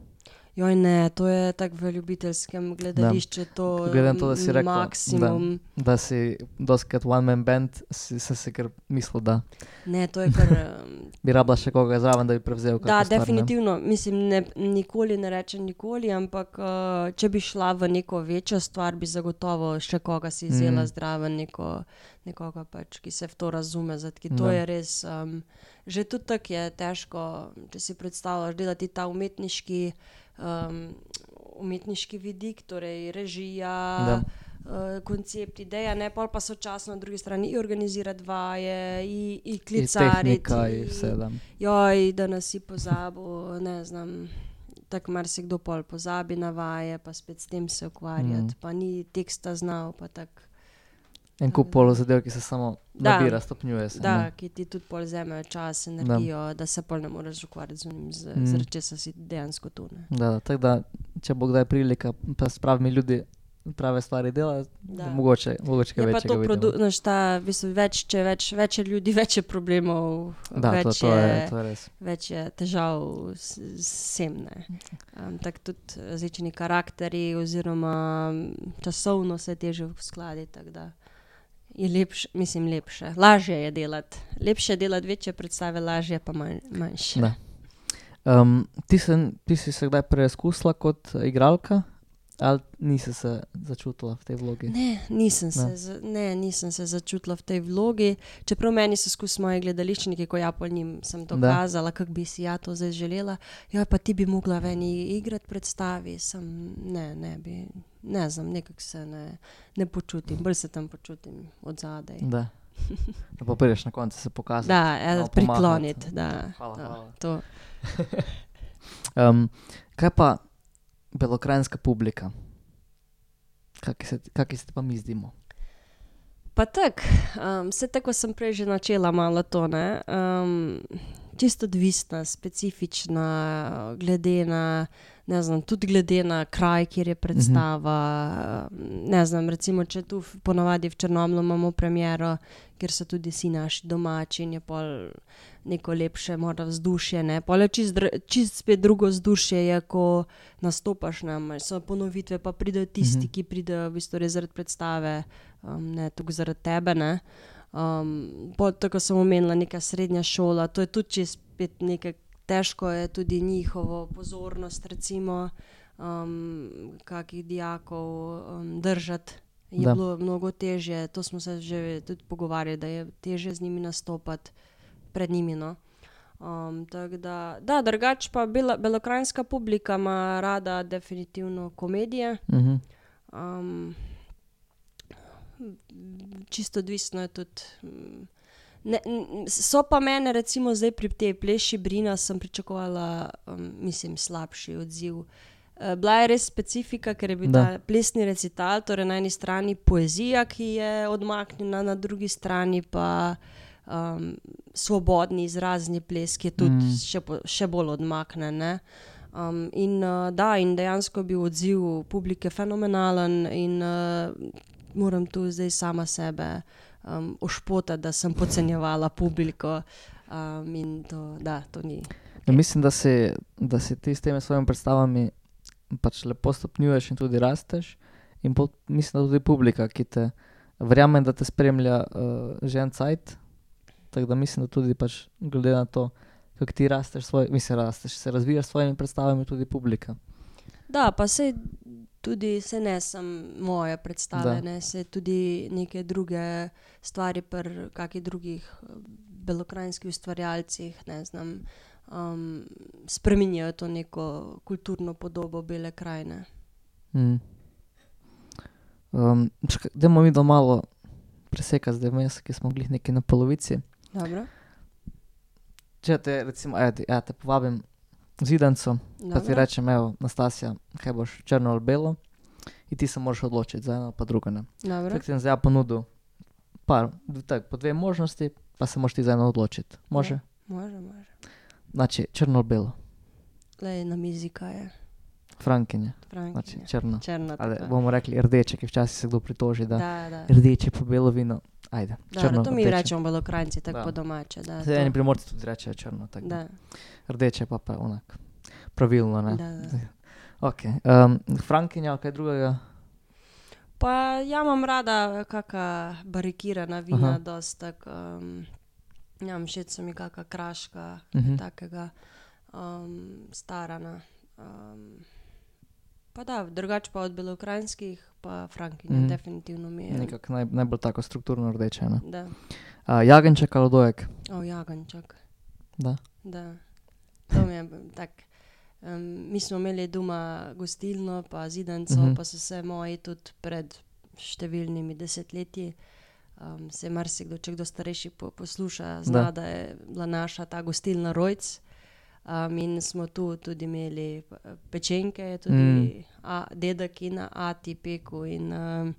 Joj ne, to je tako v ljubiteljskem gledališču, to Glede na to, da si rekla, maksimum. Da si doskrat one man band, si, sem si kar mislil, da Ne, to je kar... Um, bi rabila še koga zraven, da bi prevzel kakšno Da, stvar, ne? definitivno. Mislim, ne, nikoli ne rečem nikoli, ampak uh, če bi šla v neko večjo stvar, bi zagotovo še koga si vzela Mm. zraven, neko, nekoga pač, ki se v to razume. Zatki, to Da. je res, um, že tudi tako je težko, če si predstavljaš delati ta umetniški, um, umetniški vidik, torej režija, Da. uh, koncept, ideja, ne, pol pa sočasno na drugi strani i organizirati vaje, i, i klicariti. tehnika, in vse, da. Joj, da nas si pozabil, ne znam, tako marsikdo pol pozabi na vaje, pa spet s tem se ukvarjati, Mm. pa ni teksta znal, pa tako. En kup pol zadev, ki se samo Da. nabira, stopnjuje se. Da, ne. ki ti tudi pol vzamejo čas, energijo, da. da se pol ne moreš ukvarjati z unim, z, Mm. mm. zaradi česa si dejansko tu. Ne. Da, tako da, če bo kdaj prilika, pa s pravimi ljudi prave stvari dela, Da. mogoče, mogoče kaj Je pa večjega to, vidimo. produ- znaš, ta, v bistvu, več, če več, več je ljudi, več je problemov, Da, več, to, to, je, to je res. več je težav s, s vsem. ne. Um, tako tudi različni karakteri oziroma mm, časovno se je težje uskladiti, tako da je lepše, mislim lepše, lažje je delati. Lepše je delati večje predstave, lažje pa manj, manjše. Da. Um, ti, se, ti si se kdaj preizkusila kot igralka, ali nisi se začutila v tej vlogi? Ne, nisem se, Ne. za- ne, nisem se začutila v tej vlogi, čeprav meni so skozi moji gledališčniki, ko ja pol njim sem Da. dokazala, kako bi si ja to zdaj želela, ja pa ti bi mogla v eni igrati predstavi, sem ne, ne bi, ne znam, nekako se ne, ne počutim, bolj se tam počutim od zadaj. Da. Da pa prideš na koncu se pokazati. Da, ja, malo prikloniti, pomahati. da, Hvala, da, hvala. to. Um, kaj pa belokranjska publika? Kaki se, kaki se ti pa mi zdimo? Pa tako, um, vse tako sem prej že načela malo to, ne, um, čisto odvisna, specifična, glede na, ne znam, tudi glede na kraj, kjer je predstava, um, ne znam, recimo, če tu v- ponavadi v Črnomlju imamo premiero, kjer so tudi vsi naši domači in je pol neko lepše morda vzdušje, ne, pol je čist, dr- čist spet drugo vzdušje je, ko nastopaš, ne, so ponovitve, pa pridejo tisti, Mhm. ki pridejo v bistvu res zaradi predstave, um, ne tukaj zaradi tebe, ne. Um, pol tako sem omenila, neka srednja šola, to je tudi čisto spet nekaj, težko je tudi njihovo pozornost, recimo, um, kakih dijakov um, držati. Je Da. bilo mnogo težje, to smo se že tudi pogovarjali, da je težje z njimi nastopati pred njimi, no. Um, tako da, da, drugače pa bela, belokranjska publika ima rada definitivno komedije. Mhm. Um, čisto odvisno je tudi. Ne, so pa mene recimo zdaj pri tej pleši Brina sem pričakovala, um, mislim, slabši odziv. Uh, bila je res specifika, ker je bil Da. ta plesni recital, torej na eni strani poezija, ki je odmaknjena, na drugi strani pa um, svobodni izrazni ples, ki je tudi Mm. še, po, še bolj odmaknen. Ne? Um, in uh, da, in dejansko je bil odziv publike fenomenalen in uh, moram tu zdaj sama sebe um, ošpotati, da sem podcenjevala publiko um, in to, da, to ni. Ja, mislim, da si, da si ti s temi svojimi predstavami pač lepo stopnjuješ in tudi rasteš. In pol, mislim, da tudi publika, ki te verjamem, da te spremlja uh, že en cajt. Tako da mislim, da tudi pač glede na to, kako ti rasteš, svoj, mislim, rasteš, se razvijaš s svojimi predstavami, tudi publika. Da, pa sej tudi se ne sem moje predstave, Da. ne, se tudi neke druge stvari pri kakih drugih eh, belokranjskih ustvarjalcih, ne znam, um, spreminjajo to neko kulturno podobo Bele krajine. Mm. Um, čakaj, dajmo mi da malo presekati zdaj vmes, ki smo glih neki na polovici. Dobro? Če te recimo, ja, ja, te povabim v Zidanco, pa ti Dobro. rečem, evo, Nastasja, kaj boš, črno ali belo, in ti se moraš odločiti za eno pa drugo, ne. Dobro. Tako ti bom zdaj ja ponudil par, d- tak, po dve možnosti, pa se moraš ti za eno odločiti. Može? Može, može. Znači, črno ali belo, Lej, na mizi kaj je. Frankinje, znači Frankinja. črno. Črna. Ali tako. bomo rekli rdeče, ki včasih se kdo pritoži, da, Da, da. rdeče pa belo vino, ajde, Dobro, črno, to mi rdeče. rečemo belokranjci, tako Da. po domače. Da, Zdaj eni to. primorci tudi rečejo črno, tako da. Da, Rdeče pa pa onak, pravilno, ne. da, da. Ok, um, Frankinja, kaj drugega? Pa ja imam rada kaka barikirana vina, Aha. dost tak, um, ja, všeč so mi kaka kraška, Mhm. takega um, starana. Um, pa da, drugače pa od belokranjskih, pa Frankinja, Mhm. definitivno mi je. Nekako naj, najbolj tako strukturno rdeče, ne. Da, Uh, jagenček ali dojek? o, jaganček. Da. Da, to mi je b- tak. Um, mi smo imeli doma gostilno, pa zidanco, Mhm. pa so se moji tudi pred številnimi desetletji, um, se marsikdo, če kdo starejši po, posluša, zna, Da. da. da je bila naša ta gostilna Rojc. Um, in smo tu tudi imeli p- pečenke, je tudi Mm. mm. a, dedek in ati peku in um,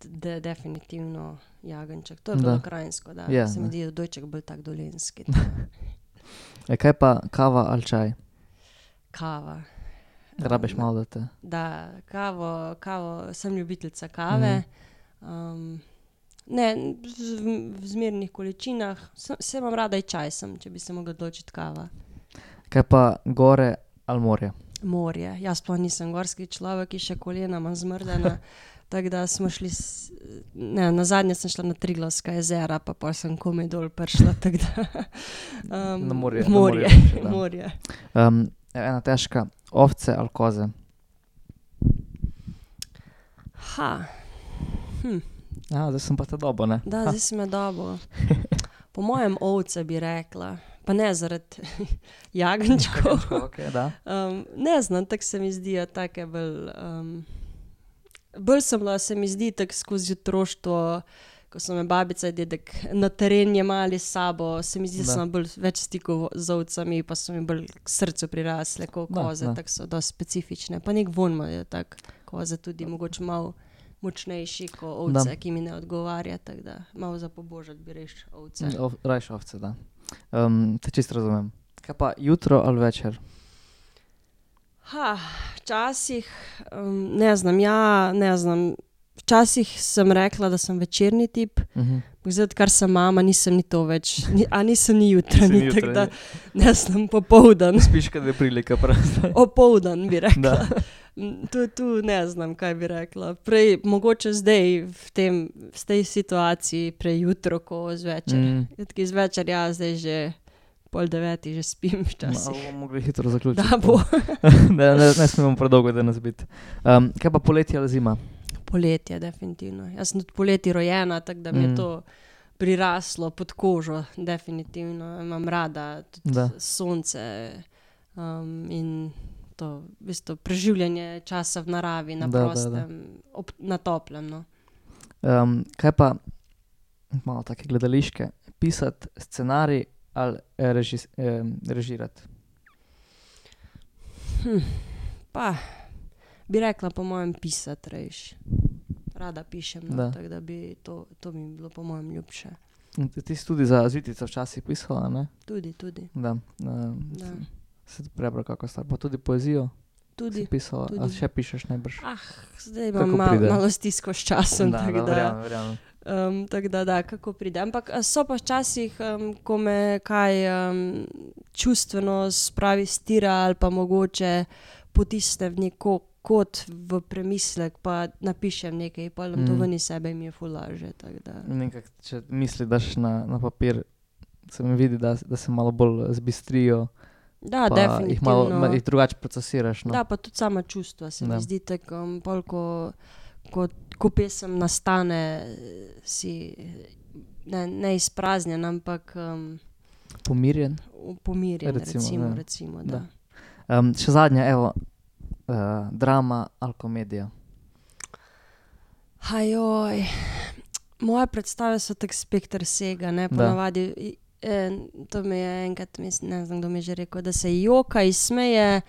de, definitivno jagenček. To je Da. bilo krajinsko, da Ja, se mi ne. zdi, da dojček bolj tak dolenski. E, kaj pa kava ali čaj? Kava. Rabiš Um, malo, da te... Da, kavo, kavo, sem ljubiteljca kave. Um, ne, z- v, v zmernih količinah. Sem, se imam rada i čaj, sem, če bi se mogla odločiti kava. Kaj pa gore ali morje? Morje. Jaz sploh nisem gorski človek, ki še kolena imam zmrdena. Tako da smo šli, s, ne, na zadnje sem šla na Triglavska jezera, pa pa sem komaj dol prišla, tako da... Um, Na morje, na Morje, morje boljše, da. morje. Um, ena težka, ovce ali koze? Ha, hm. Ja, zdaj sem pa te dobo, ne? Da, zdaj si me dobo. Po mojem ovce bi rekla, pa ne zaradi jagenčkov. Okay, da. Um, ne znam, tako se mi zdijo take bolj... Um, bolj sem bila, se mi zdi, tako skozi otroštvo, ko so me babica in dedek na teren jemali s sabo, se mi zdi, da Da. sem bolj več stikov z ovcami, pa so mi bolj k srcu prirasle, kot Da, koze, da. tako so dosti specifične. Pa nek von imajo tak, koze tudi mogoče malo močnejši kot ovce, Da. ki mi ne odgovarja, tako da malo za pobožati bi reš ovce. Ov, rajš ovce, da. Um, te čisto razumem. Kaj pa jutro ali večer? Ha, včasih, um, ne znam, ja, ne znam. Včasih sem rekla, da sem večerni tip, Uh-huh. zdaj, odkar sem mama, nisem ni to več, ni, a nisem ni jutranji, Nisi tako da jutranji. ne znam, popoldan, Spiš, kad je prilika prosta. opoldan bi rekla. Da. Mm, Tu, tu ne znam, kaj bi rekla. Prej, mogoče zdaj v, tem, v tej situaciji, prej jutro, ko zvečer. Mm. Mm. Zvečer, ja, zdaj že pol devetih, že spim včasih. Malo bomo mogli hitro zaključiti. Da bo. ne, ne, ne smemo predolgo danes biti. Um, kaj pa poletje ali zima? Poletje, definitivno. Jaz sem tudi poleti rojena, tako da mi Mm. je to priraslo pod kožo, definitivno. Imam rada tudi Da. sonce um, in to v bistvu preživljanje časa v naravi, na Da, da, da. prostem, ob, na toplem. No. Um, kaj pa, malo take gledališke, pisati scenarij ali režis, eh, režirati? Hm, pa, bi rekla po mojem pisati rejš. Rada pišem, no, Da. tako da bi to, to bi mi bilo po mojem ljubše. In Ti ti si tudi za Zvitico včasih pisala, ne? Tudi, tudi. Da. Um, Da. Se ti prebral kako stvar. Pa tudi poezijo Tudi. si pisala. tudi. A še pišeš najbrž? Ah, zdaj Kako imam mal, pride. malo stisko s časom, da, tako da, da, verjamem, verjamem. um, tak da, da, kako pride. Ampak a, so pa včasih, um, ko me kaj um, čustveno spravi stira ali pa mogoče potisne v neko kot v premislek, pa napišem nekaj, pa nam to Mm. ven iz sebe in mi je ful lažje, tako da. Nekak, če misli daš na, na papir, se mi vidi, da, da se malo bolj zbistrijo, Da, pa definitivno. jih malo ma- jih drugače procesiraš. No? Da, pa tudi sama čustva se Da. mi zdi tako, um, pol, ko, ko, ko pesem nastane, si ne, ne izpraznjen, ampak um, Pomirjen. pomirjen, Recimo, recimo, ja. recimo, Da. da. Um, še zadnja, evo, uh, drama ali komedija. Hajoj, moje predstave so tak spekter vsega, ne, Da. ponavadi, i- en, to mi je enkrat, mislim, ne znam, kdo mi je že rekel, da se joka, izsmeje,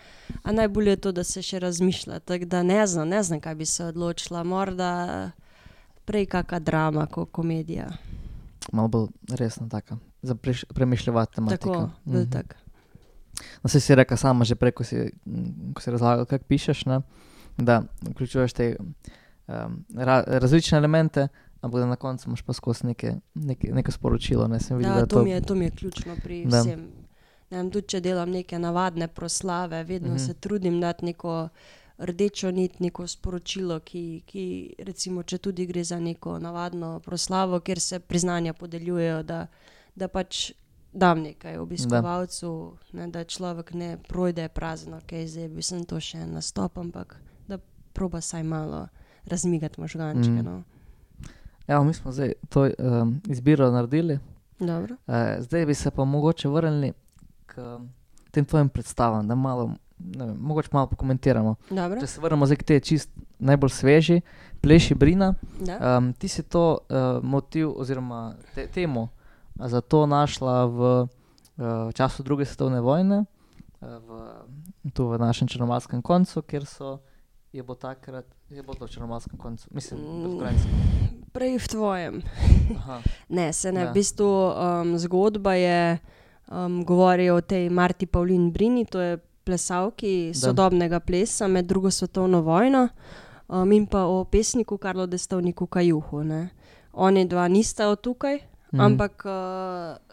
a najbolje je to, da se še razmišlja, tako da ne znam, ne znam, kaj bi se odločila, morda prej kaka drama, kot komedija, Malo bolj resna taka, za preš, premišljevati tematiko. tako, bolj tak. No, saj si rekla sama že prej, ko si, mm, ko si razlagal, kako pišeš, ne? Da vključuješ te um, ra, različne elemente, ampak da na koncu imaš pa skozi neke, neke, neko sporočilo. Ne? Sem videl, Ja, da to, mi je, to mi je ključno pri Da. vsem. Ne vem, tudi če delam neke navadne proslave, vedno Mhm. se trudim dati neko rdečo nit, neko sporočilo, ki, ki recimo, če tudi gre za neko navadno proslavo, kjer se priznanja podeljujejo, da, da pač dam nekaj obiskovalcu, ne, da človek ne projde prazno, ok, zdaj bi sem to še en nastop, ampak da proba saj malo razmigati možgančke, Mhm. no. Evo, mi smo zdaj to um, izbiro naredili. Dobro. Uh, zdaj bi se pa mogoče vrnili k tem tvojim predstavam, da malo, ne vem, mogoče malo pokomentiramo. Dobro. Če se vrnemo zdaj k tej čist najbolj sveži, Pleši Brina. Da. Um, ti si to uh, motiv oziroma te, temo uh, za to našla v uh, času druge svetovne vojne, uh, v, tu v našem Črnomaljskem koncu, kjer so, je bo takrat, je bo to v Črnomaljskem koncu, mislim, Mm. v Ukrajinskem. Prej v tvojem. Aha, Ne, se ne. Da. V bistvu um, zgodba je, um, govori o tej Marti Pavlin Brini, to je plesalki Da. sodobnega plesa med drugo svetovno vojno, um, in pa o pesniku Karlu Destovniku Kajuhu. Ne. Oni dva nista od tukaj, Mhm. ampak uh,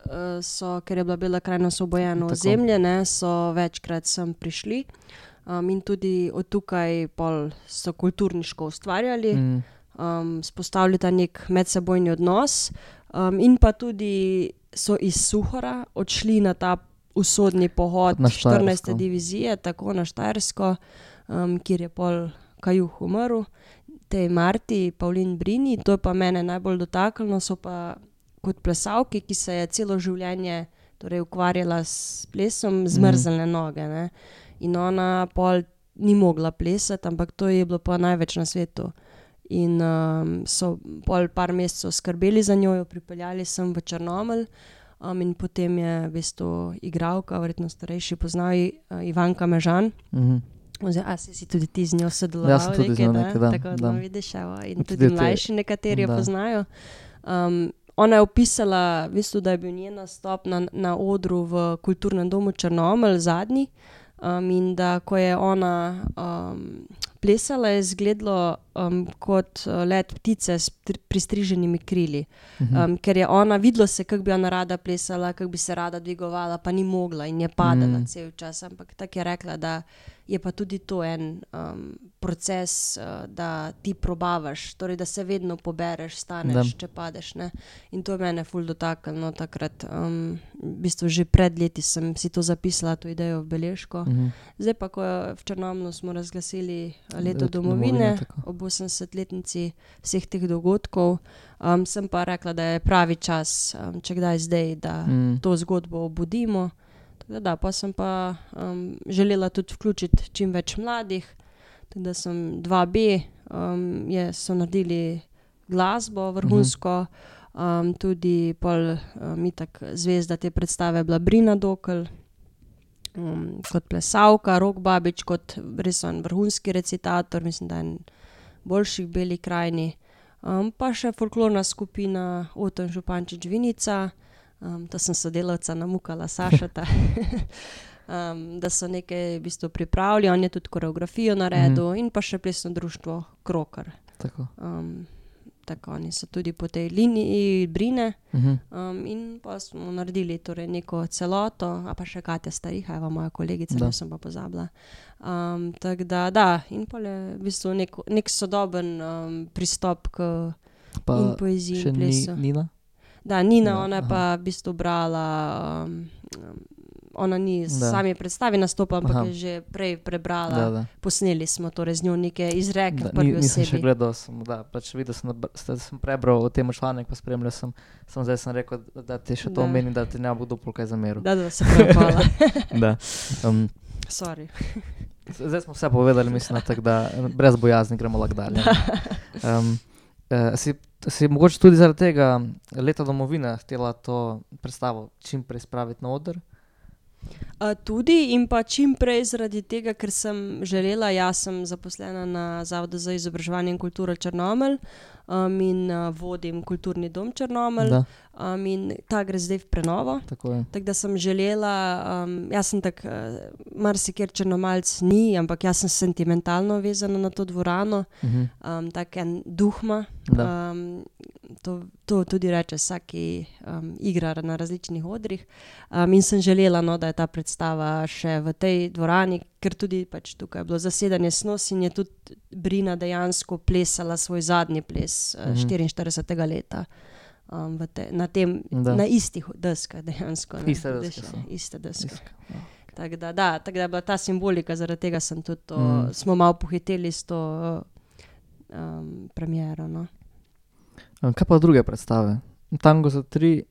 uh, so, ker je bila Bela krajina osvobojena Tako. ozemlje, ne, so večkrat sem prišli. Um, in tudi od tukaj pol so kulturniško ustvarjali. Mm, Um, spostavili ta nek medsebojni odnos, um, in pa tudi so iz Suhora odšli na ta usodni pohod Na štirinajste Štajersko. divizije, tako na Štajersko, um, kjer je pol Kajuh umrl, tej Marti Pavlin Brini. To je pa mene najbolj dotaknilo, so pa kot plesalki, ki se je celo življenje torej ukvarjala s plesom, zmrznjene noge. Ne? In ona pol ni mogla plesati, ampak to je bilo pa največ na svetu. In um, so pol par mesecev skrbeli za njo, jo pripeljali sem v Črnomelj, um, in potem je v bistvu igralka, verjetno starejši poznajo, uh, Ivanka Mežan. mhm. Oziroma, a si, si tudi ti z njo sodeloval? Jaz sem tudi z njo ne? nekaj, da, Tako da. no, vidiš, evo, in Tudi tudi te- mlajši nekateri jo da. poznajo. Um, ona je opisala, v bistvu, da je bil njen nastop na, na odru v Kulturnem domu Črnomelj zadnji, um, in da ko je ona um, plesala, je izgledalo um, kot uh, let ptice s tri- pristriženimi krili. Mhm. Um, ker je ona, videlo se, kako bi ona rada plesala, kako bi se rada dvigovala, pa ni mogla in je padala Mm. cel čas. Ampak tako je rekla, da je pa tudi to en um, proces, uh, da ti probavaš, torej da se vedno pobereš, staneš, Da. če padeš. Ne? In to je mene ful dotaknilo takrat. Um, v bistvu že pred leti sem si to zapisala, to idejo v beležko. Mhm. Zdaj pa, ko je v Črnomlju smo razglasili uh, leto Leto domovine, domovine, tako. ob osemdesetletnici vseh teh dogodkov, um, sem pa rekla, da je pravi čas, um, če kdaj zdaj, da Mm. to zgodbo obudimo. Tako da, da, pa sem pa um, želela tudi vključiti čim več mladih, tako da sem dva B, um, je, so naredili glasbo vrhunsko, um, tudi pol um, itak zvezda te predstave je bila Brina Dokl, um, kot plesavka, Rok Babič kot res en vrhunski recitator, mislim, da je en boljših Beli krajini. Um, pa še folklorna skupina Oton Župančič Vinica, um, to sem sodelavca namukala Sašata, um, da so nekaj v bistvu pripravili, on je tudi koreografijo naredil mm. in pa še plesno društvo Krokar. Tako. Um, tako, oni so tudi po tej liniji Brine Uh-huh. um, in pa smo naredili torej neko celoto, a pa še Katja Stariha, eva moja kolegica, Da. ne sem pa pozabila. Um, tako da, da, in pa je v bistvu nek, nek sodoben um, pristop k Pa in poeziji še in ni, plesu. Nina? Da, Nina, Ja, ona je aha. pa v bistvu brala, um, um, ona ni Da. sami predstavi nastopa, ampak Aha. je že prej prebrala, Da, da. posneli smo torej z njo neke izreke Da, v prvi ni, nisem še osebi. gledal, sem, da, pač videl sem, da br- ste- sem prebral o tem članek, pa spremljal sem, sem zdaj sem rekel, da, da ti še to Da. omenim, da ti ne bo kdo pol kaj zameril. Da, da, se prav hvala. Da. Um, Sorry. zdaj smo vse povedali, mislim, tako da brez bojazni gremo lahko dalje. Um, uh, si, si mogoče tudi zaradi tega Leta domovine htela to predstavo čim prej spraviti na oder? Uh, tudi in pa čim prej zaradi tega, ker sem želela, jaz sem zaposlena na Zavodu za izobraževanje in kulturo Črnomelj um, in uh, vodim kulturni dom Črnomelj Da, um, in ta gre zdaj v prenovo. tako je. Tako da sem želela, um, jaz sem tak, uh, marsikjer Črnomaljc ni, ampak jaz sem sentimentalno vezana na to dvorano, Uh-huh. um, tak en duhma. Da. Um, to, to tudi reče vsaki um, igrar na različnih odrih. Um, in sem želela, no, da je ta predstava še v tej dvorani, ker tudi pač tukaj je bilo zasedanje Snos in je tudi Brina dejansko plesala svoj zadnji ples uh, Mhm. štiriinštiridesetega leta. Um, v te, na, tem, Da. na istih deskah dejansko. ne. Iste deske Deš- so. Iste deske. Iska, ja. Tako da, da, tako da je bila ta simbolika, zaradi tega sem tudi to, Mm. smo malo pohiteli s to um, premiero. No. Um, Kaj pa druge predstave? Tango za tri,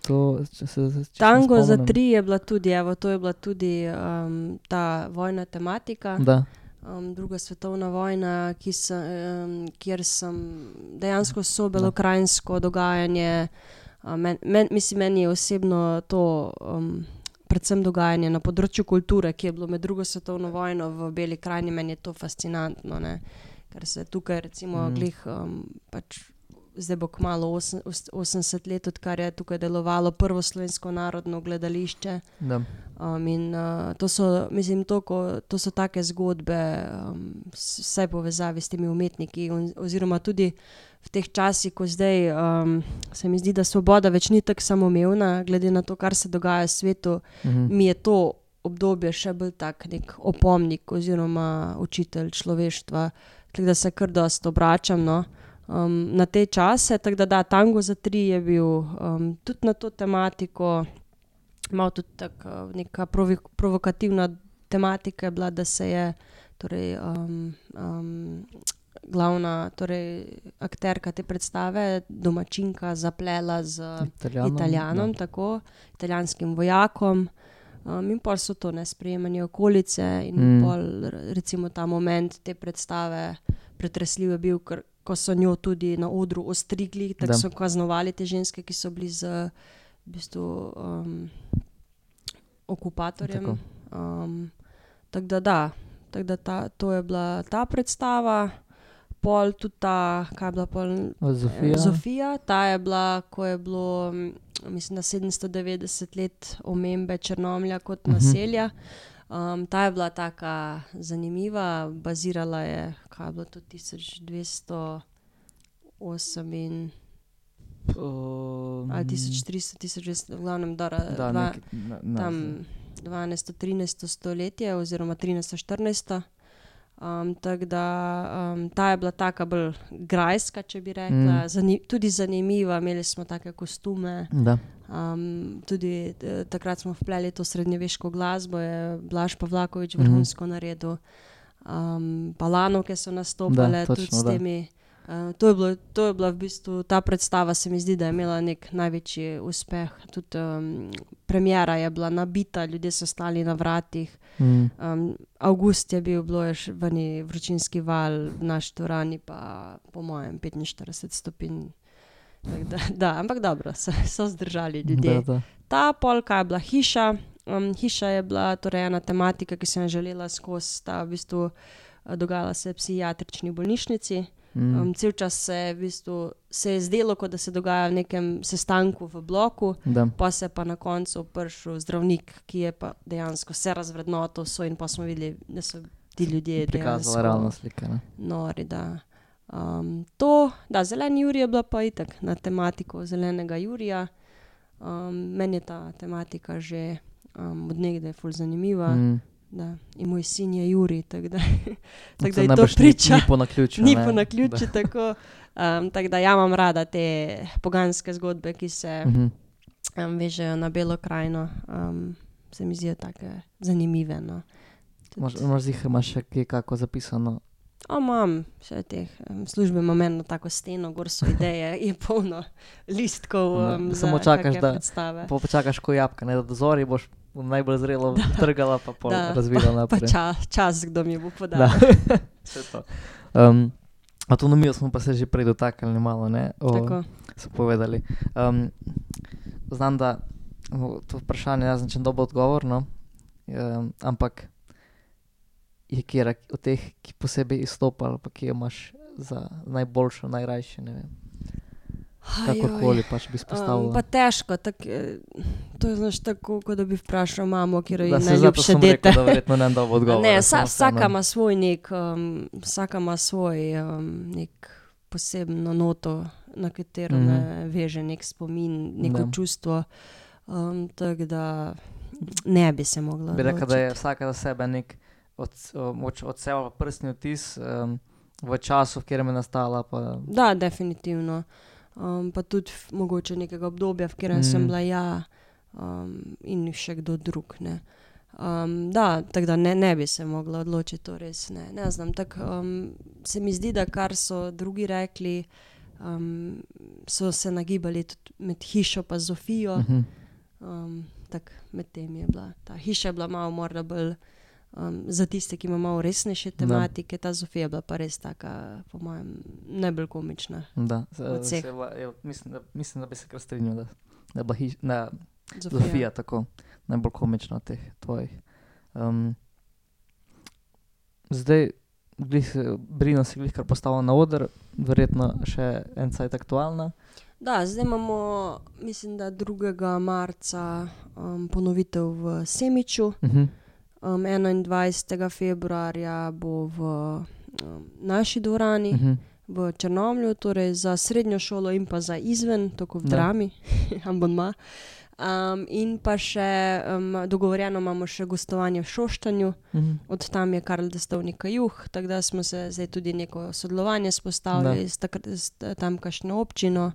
to, če se če se Tango za spomnim. tri je bila tudi, evo, to je bila tudi um, ta vojna tematika, Da, um, druga svetovna vojna, ki se, um, kjer sem dejansko so belokrajinsko dogajanje, um, men, men, mislim, meni je osebno to um, predvsem dogajanje na področju kulture, ki je bilo med drugo svetovno vojno v Beli krajini, meni je to fascinantno, ne? Ker se tukaj recimo Mm. glih um, pač zdaj bo kmalu osem- os- osemdeset let, odkar je tukaj delovalo prvo slovensko narodno gledališče. da. Um, in uh, to so, mislim, to, ko, to so take zgodbe, um, s- vse povezavi s temi umetniki on, oziroma tudi v teh časih, ko zdaj um, se mi zdi, da svoboda več ni tako samoumevna, glede na to, kar se dogaja v svetu, Mhm. mi je to obdobje še bolj tak nek opomnik oziroma učitelj človeštva, tako da se kar dost obračam, no. Um, na te čase, tako da da, Tango za tri je bil um, tudi na to tematiko, malo tudi tako neka provi, provokativna tematika je bila, da se je torej, um, um, glavna torej, akterka te predstave, domačinka, zaplela z Italijanom, Italijanom, da. tako, italijanskim vojakom. Um, in pol so to nesprejemanje okolice in Mm. mm. pol r- recimo ta moment te predstave pretresljiv je bil, ker ko so njo tudi na odru ostrigli, tako Da. so kaznovali te ženske, ki so bili z v bistvu um, okupatorjem. Tako. Um, tako da da, tako da ta, to je bila ta predstava, pol tudi ta, kaj je bila pol Zofija. Zofija, ta je bila, ko je bilo, mm, mislim, da sedemsto devetdeset let omembe Črnomlja kot Mhm. naselja. Um, ta je bila taka zanimiva, bazirala je, kaj je bilo to, tisoč dvesto osem in, Um, ali tisoč tristo, tisoč dvesto, v glavnem, dora, Da, dva, neki, ne, ne, tam dvanajsto, trinajsto stoletje oziroma trinajsto, štirinajsto. Um, tako da um, ta je bila taka bolj grajska, če bi rekla, Mm. Zani, tudi zanimiva, imeli smo take kostume. Da. Um, tudi eh, takrat smo vpleli to srednjeveško glasbo, je Blaž Pavlaković Mhm. vrhunsko naredil. Um, Palanovke so nastopale Da, tudi točno, s da. temi Uh, to, je bilo, to je bila v bistvu, ta predstava se mi zdi, da je imela nek največji uspeh. Tudi um, premiera je bila nabita, ljudje so stali na vratih. Mm. Um, avgust je bil, bilo je še vani vročinski val, v naši dvorani pa po mojem petinštirideset stopinj. Tak da, da, ampak dobro, so, so zdržali ljudje. Da, da. Ta polka je bila hiša. Um, hiša je bila torej ena tematika, ki sem jo želela skozi. Ta v bistvu uh, dogajala se v psihiatrični bolnišnici. Mm. Um, cel čas se je, v bistvu, se je zdelo, kot da se dogaja v nekem sestanku v bloku, Da. pa se pa na koncu prišel zdravnik, ki je pa dejansko vse razvrednotil so in pa smo videli, da so ti ljudje Prikazala dejansko realna slika. Ne? nori. Da. Um, to, da, zeleni Jurij je bila pa itak na tematiko zelenega Jurija. Um, meni je ta tematika že um, od nekdaj ful zanimiva. Mm. Da. In moj sin je Jurij, tako da, tak, To da je to najbrž ni- priča. Ni po naključju. Ni ne? po naključju tako. Um, tako da ja imam rada te poganske zgodbe, ki se Mhm. um, vežejo na Belo krajino. Um, se mi zdijo take zanimive. No. Mož- Mož ziher imaš še kaj kako zapisano. O, imam še teh um, službe, imam eno tako steno, gor so ideje, je polno listkov No, um, samo za čakaš, kake da predstave. Pa počakaš ko jabka, ne, da do zori boš najbolj zrelo trgala, pa pol Da, razvila Pa naprej. čas, čas, kdo mi bo podal. Da. Vse to. Um, avtonomijo smo pa se že prej dotaknili malo, ne? O, Tako. so povedali. Um, znam, da o, to vprašanje jaz nečem dobo odgovor, no? Um, ampak je kjera od teh, ki posebej izstopa, ali pa ki jo imaš za najboljšo, najrajše, ne vem. Kakorkoli pač bi izpostavila. Um, pa težko, tak, eh, to je znaš tako, kot da bi vprašal mamo, kjer Da, je saj zato najljubše sem dete. rekel, da verjetno ne dobo odgovor. Ne, vsa, vsaka ima svoj nek, um, vsaka ima svoj um, nek posebno noto, na katero Mhm. me veže nek spomin, neko Da. čustvo. Um, tako da ne bi se mogla Bi rekla, da je odločiti. vsaka za sebe nek od, od, od sebe prstni vtis um, v času, v katerem je nastala. Pa, Da, definitivno. Um, pa tudi f- mogoče nekega obdobja, v katerem mm. sem Mm. bila ja um, in še kdo drug. Ne. Um, da, tako da ne, ne bi se mogla odločiti, to res ne. Ne znam, tako um, se mi zdi, da kar so drugi rekli, um, so se nagibali tudi med hišo pa Zofijo. uh -huh. Um, tako med tem je bila. Ta hiša je bila malo morda bolj um, za tiste, ki ima malo resnejše tematike, ta Zofija je bila pa res taka, po mojem, najbolj komična. Da, Od vseh. se, je, mislim, da, mislim, da bi se kar strinjal, da, da je bila hiš, da, Zofija. Zofija tako najbolj komična od teh tvojih. Um, zdaj, glih, se- Brino se glih kar postavila na oder, verjetno še en cajt aktualna. Da, zdaj imamo, mislim, da drugega marca um, ponovitev v Semiču. Uh -huh. Um, enaindvajsetega februarja bo v um, naši dvorani, Uh -huh. v Črnomlju, torej za srednjo šolo in pa za izven, tako v Da. drami, abonma. Um, in pa še um, dogovorjeno imamo še gostovanje v Šoštanju, Uh -huh. od tam je Karl Destovnika Juh, tako da smo se zdaj tudi neko sodelovanje spostavili Da. s, takr- s t- tamkajšnjo občino.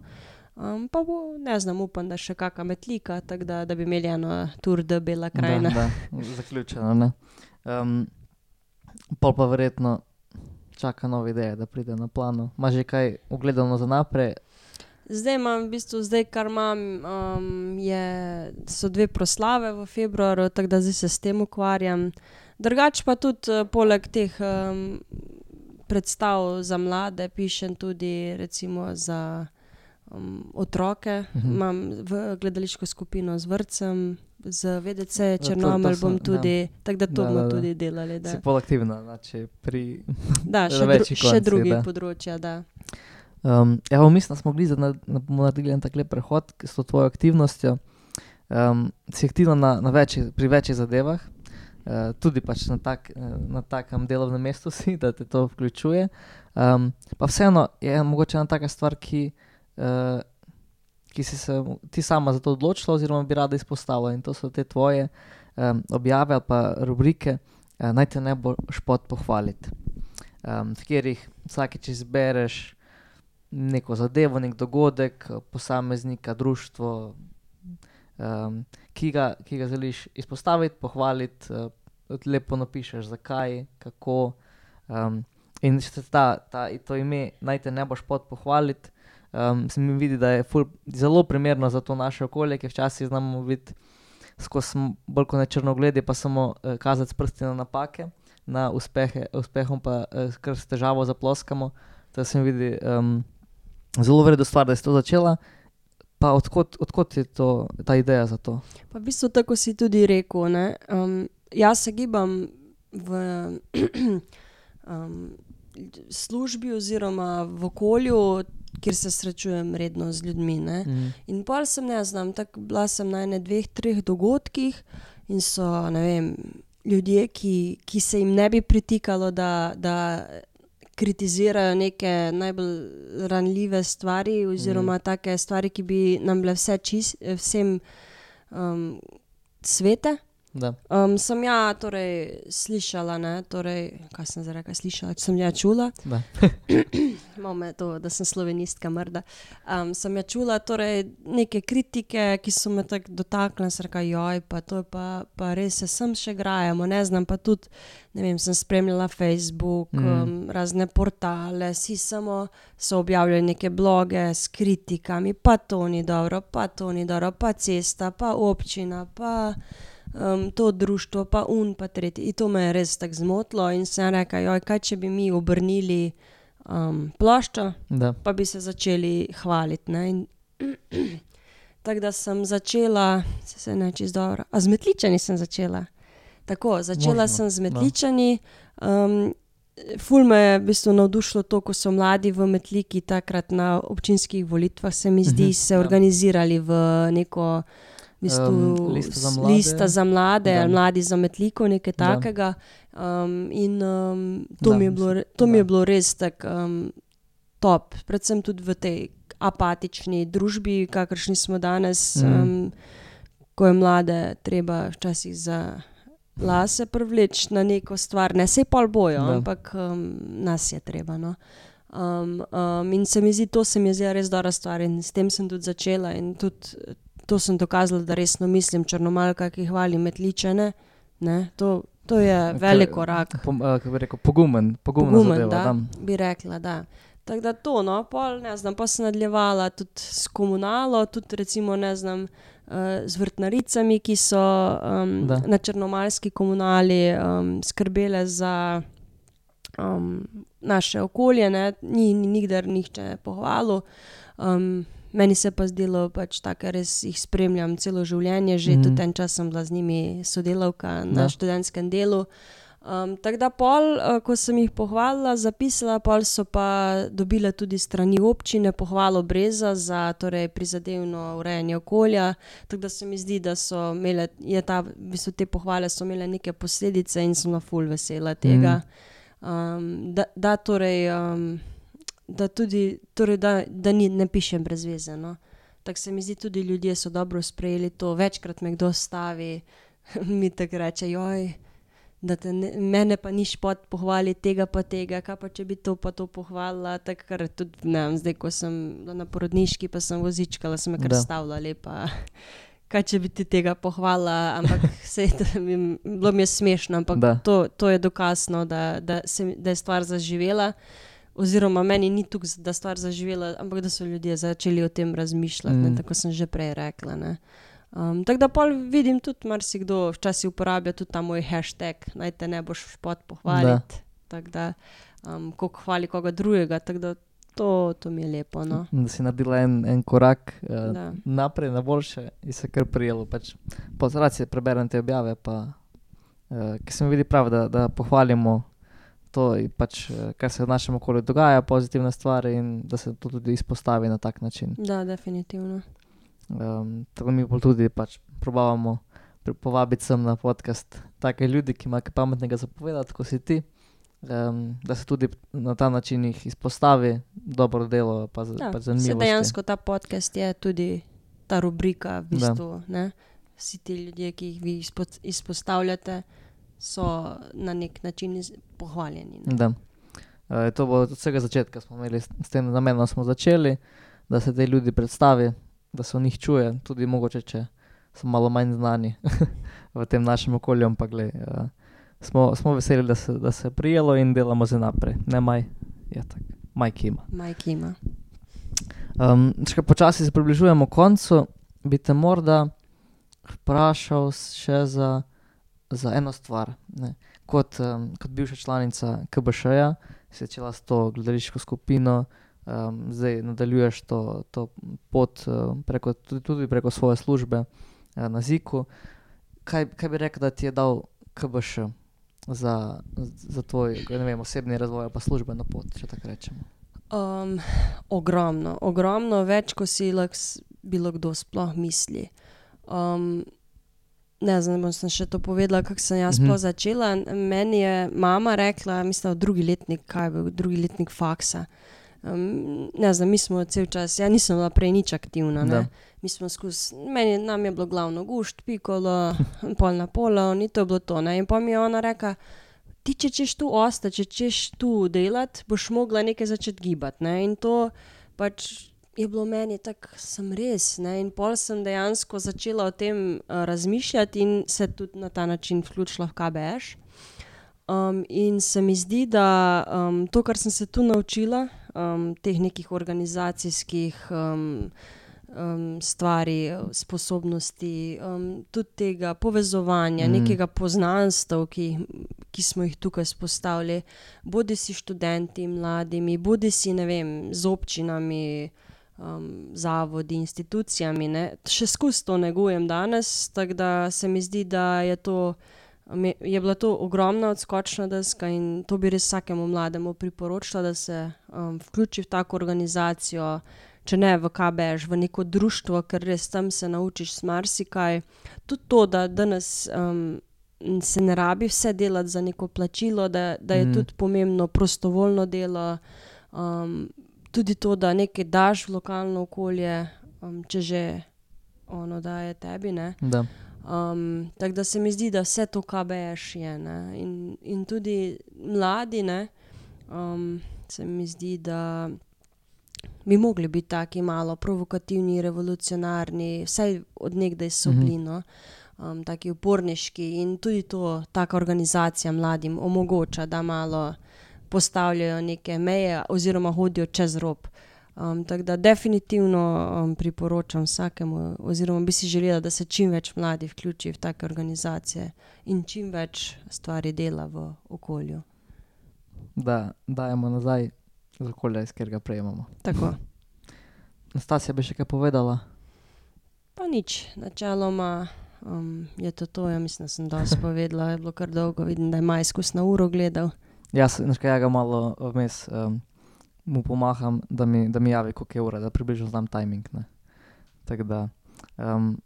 Um, pa bo, ne znam, upam, da še kakšna metlika, tako da, da bi imeli eno Tour de Bela krajina. Da, da, zaključeno, ne. Um, pol pa verjetno čaka nove ideje, da pride na plano. Imaš že kaj ugledano za naprej? Zdaj imam, v bistvu, zdaj, kar imam, um, je, so dve proslave v februarju, tako da zdaj se s tem ukvarjam. Drugač pa tudi uh, poleg teh um, predstav za mlade pišem tudi recimo za um, otroke. Mhm. Imam v gledališko skupino z vrtcem, z V D C to Črnomelj sem- bom tudi, tako da to Da, bomo da, da. tudi delali. Da, Si bolj aktivna, znači pri... da na še, dru, večji še konci, drugi da. področja, da. Um, ja, pa mislim, da smo bili, da bomo naredili en tak lep prehod s to tvojo aktivnostjo. Um, si aktivna na, na več, pri večjih zadevah, uh, tudi pač na, tak, eh, na takem delovnem mestu si, da te to vključuje. Um, pa vseeno je mogoče ena taka stvar, ki, uh, ki si se ti sama za to odločila oziroma bi rada izpostavila, in to so te tvoje um, objave ali pa rubrike, uh, naj te ne bo špot pohvaliti, um, v katerih vsakeč izbereš neko zadevo, nek dogodek, posameznika, društvo, um, ki, ga, ki ga želiš izpostaviti, pohvaliti, uh, lepo napišeš, zakaj, kako. Um, In še ta, ta, to ime naj te ne boš pot pohvaliti, um, se mi vidi, da je ful, zelo primerno za to naše okolje, ki včasih znamo biti skozi bolj kot ne črnogledi, pa samo uh, kazati s prsti na napake, na uspehe, uspehom pa uh, kar s težavo zaploskamo. To se mi vidi um, zelo vredno stvar, da si to začela. Pa odkot, odkot je to, ta ideja za to? Pa v bistvu tako si tudi rekel, ne. Um, jaz se gibam v um, službi oziroma v okolju, kjer se srečujem redno z ljudmi, ne. Mm. In pol sem, ne znam, tako bila sem na ene dveh, treh dogodkih in so, ne vem, ljudje, ki, ki se jim ne bi pritikalo, da, da kritizirajo neke najbolj ranljive stvari oziroma mm. take stvari, ki bi nam bile vse čist, vsem um, svete. Da. Um, sem ja torej slišala, ne, torej, kaj sem zdaj rekla, slišala, sem ja čula. Da. Malo me to, da sem slovenistka mrda. Um, sem ja čula torej neke kritike, ki so me tako dotaknile, sem rekla, joj, pa to je pa, pa res se sem še grajamo, ne znam, pa tudi, ne vem, sem spremljala Facebook, mm. um, razne portale, si samo so objavljali neke bloge s kritikami, pa to ni dobro, pa to ni dobro, pa cesta, pa občina, pa Um, to društvo, pa un, pa tretji. In to me je res tako zmotilo in sem rekla, joj, kaj če bi mi obrnili um, ploščo, Da. pa bi se začeli hvaliti, ne. In tako da sem začela, se se ne čisto dobro, a z Metličani sem začela. Tako, začela Možno, sem z no. Metličani, um, ful me je v bistvu navdušilo to, ko so mladi v Metliki takrat na občinskih volitvah, se mi zdi, Mhm, se ja. organizirali v neko v bistvu Um, lista za mlade. lista za mlade, Da. ali mladi za Metliko, nekaj Da. takega. Um, in um, to, Da, mi je bilo, re- to da. mi je bilo res tako um, top, predvsem tudi v tej apatični družbi, kakršni smo danes, Mhm. um, ko je mlade treba včasih za lase privleči na neko stvar, ne sej pol bojo, Da. ampak um, nas je treba, no. Um, um, in se mi zdi, to se mi je zdela res dobra stvar in s tem sem tudi začela in tudi to sem dokazala, da resno mislim, Črnomaljka, ki hvali Metličane, ne, to, to je velik korak. Pom, uh, kako bi rekel, pogumen, pogumna Pogumen, zadeva. da, Da. bi rekla, da. Tako da to, no, pol, ne znam, pa sem nadaljevala tudi s komunalo, tudi recimo, ne znam, uh, z vrtnaricami, ki so um, Da. na črnomaljski komunali um, skrbele za um, naše okolje, ne, ni, ni nikdar nihče pohvalil. Um, meni se pa zdelo pač tako, res jih spremljam celo življenje, že Mhm. tudi en čas sem bila z njimi sodelavka na Da. študentskem delu. Um, tako da pol, uh, ko sem jih pohvalila, zapisala, pol so pa dobile tudi strani občine pohvalo Breza za torej prizadevno urejanje okolja, tako da se mi zdi, da so imele, je ta, v bistvu te pohvale so imele neke posledice in sem na ful vesela tega. Um, da, da torej, um, da tudi, torej da, da ni, ne pišem brez veze, no. Tako se mi zdi, tudi ljudje so dobro sprejeli to, večkrat me kdo stavi, mi tako reče, joj, da te ne, mene pa ni špot pohvali tega pa tega, kaj pa če bi to pa to pohvalila, tako kar tudi, ne vem, zdaj, ko sem bila na porodniški, pa sem vozičkala, sem me kar Da. stavila lepa, kaj če bi ti tega pohvalila, ampak sej, to mi, bilo mi je smešno, ampak Da. to, to je dokazno, da, da, se, da je stvar zaživela, oziroma meni ni tukaj, da je stvar zaživela, ampak da so ljudje začeli o tem razmišljati, ne, Mm. tako sem že prej rekla, ne. Um, tako da pol vidim tudi, marsikdo včasih uporablja tudi ta moj hashtag, naj te ne boš špot pohvaliti, tako da, um, koliko hvali koga drugega, tako da to, to mi je lepo, no. Da si naredila en, en korak uh, Da. naprej, na boljše in se kar prijelo. Pač, po rad si preberem te objave, pa, uh, ki se mi vidi prav, da, da pohvalimo to, in pač, uh, kar se v našem okolju dogaja, pozitivne stvari in da se to tudi izpostavi na tak način. Da, definitivno. Um, tako mi bolj tudi pač probavamo pri- povabiti sem na podcast take ljudi, ki imajo kaj pametnega zapovedati, kot si ti, um, da se tudi na ta način jih izpostavi dobro delo, pa, z, Ja, pač se zanimivosti. dejansko ta podcast je tudi ta rubrika, v Da. bistvu, ne. Vsi ti ljudje, ki jih vi izpo, izpostavljate, so na nek način iz, pohvaljeni, ne. Da. Uh, to bo od vsega začetka smo imeli, s s tem namenom smo začeli, da se te ljudi predstavi, da se o njih čuje, tudi mogoče, če so malo manj znani v tem našem okolju, ampak glej, uh, smo, smo veseli, da se, da se je prijelo in delamo zdaj naprej. Ne, Maj? Ja, tako. Maj Kima. Maj Kima. Um, če počasi se približujemo koncu, bi te morda vprašal še za, za eno stvar. Ne. Kot, um, kot bivša članica K B Š-ja si začela s to gledališko skupino, um, zdaj nadaljuješ to, to pot uh, preko, tudi, tudi preko svoje službe uh, na Ziku. Kaj, kaj bi rekel, da ti je dal K B Š za, za tvoj, ne vem, osebni razvoj pa službeno pot, če tako rečemo? Um, ogromno, ogromno več, ko si lahko bilo kdo sploh misli. Um, ne znam, bom sem še to povedala, kako sem jaz sploh začela. Meni je mama rekla, mislim, v drugi letnik, kaj je bil, drugi letnik faksa. Um, ne znam, mi smo cel čas, ja nisem bila prej nič aktivna, ne. Mi smo skus, meni, nam je bilo glavno gušt, pikolo, pol na polo, ni to bilo to, ne. In pa mi je ona rekla, ti če češ tu ostati, če češ tu delati, boš mogla nekaj začeti gibati, ne. In to pač je bilo meni tako, sem res, ne. In pol sem dejansko začela o tem uh, razmišljati in se tudi na ta način vključila v K B Š. Um, in se mi zdi, da um, to, kar sem se tu naučila, um, teh nekih organizacijskih um, um, stvari, sposobnosti, um, tudi tega povezovanja, mm. nekega poznanstev, ki, ki smo jih tukaj spostavili, bodi si študenti, mladimi, bodi si, ne vem, z občinami, um, zavodi, institucijami, ne. Še skozi to negujem danes, tako da se mi zdi, da je to je bila to ogromna odskočna deska in to bi res vsakemu mlademu priporočila, da se um, vključi v tako organizacijo, če ne v K B Š, v neko društvo, ker res tam se naučiš marsikaj. Tudi to, da danes um, se ne rabi vse delati za neko plačilo, da, da je mm. tudi pomembno prostovoljno delo, um, tudi to, da nekaj daš v lokalno okolje, um, če že ono daje tebi, ne. Da. Um, tako da se mi zdi, da vse to K B Š je, ne, in, in tudi mladi, ne, um, se mi zdi, da bi mogli biti taki malo provokativni, revolucionarni, vsaj od nekdaj so bili, no, um, taki uporniški in tudi to, taka organizacija mladim omogoča, da malo postavljajo neke meje oziroma hodijo čez rob. Um, tako da definitivno um, priporočam vsakemu, oziroma bi si želela, da se čim več mladih vključi v take organizacije in čim več stvari dela v okolju. Da dajemo nazaj z okolja, iz katerega prejemamo. Tako. Nastasja bi še kaj povedala? Pa nič, načeloma um, je to to, ja mislim, da sem dosti povedala, je bilo kar dolgo, vidim, da je Maj skus na uro gledal. Jaz, nekaj ja ga malo vmes um, mu pomaham, da mi, da mi javi, koliko je ura, da približno znam timing, ne. Tako da, um,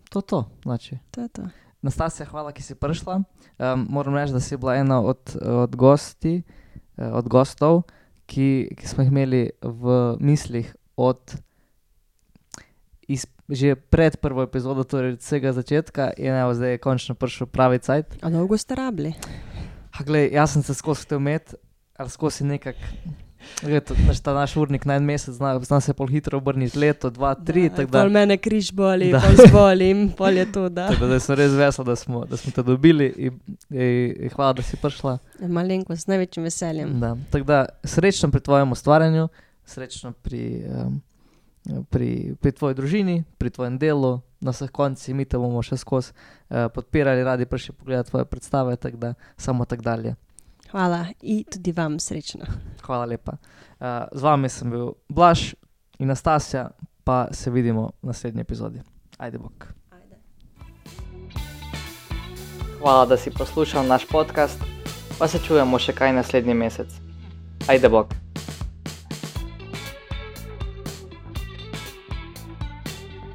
to to, znači. To je to. Nastasja, hvala, ki si prišla. Um, moram reči, da si bila ena od, od gosti, od gostov, ki, ki smo jih imeli v mislih od iz, že pred prvo epizodo, torej od vsega začetka in evo, zdaj je končno prišel pravi cajt. A dolgo ste rabili? Ha, glej, jaz sem se skozi te umet, ali skozi nekak Leto, ta naš urnik na en mesec zna, zna se pol hitro obrniti, leto, dva, tri, da, tako da... Pol mene križ boli, da. Pol zbolim, pol je to, da. Tako da sem res vesel, da smo, da smo te dobili in, in, in hvala, da si prišla. Malenko, s največjim veseljem. Da, tako da srečno pri tvojem ustvarjanju, srečno pri, um, pri, pri tvoji družini, pri tvojem delu, na vseh koncih, mi te bomo še skozi uh, podpirali, radi prišli pogledati tvoje predstave, tako da samo tako dalje. Hvala in tudi vam srečno. Hvala lepa. Uh, z vami sem bil Blaž in Nastasja, pa se vidimo v naslednji epizodi. Ajde bok. Ajde. Hvala, da si poslušal naš podcast, pa se čujemo še kaj naslednji mesec. Ajde bok.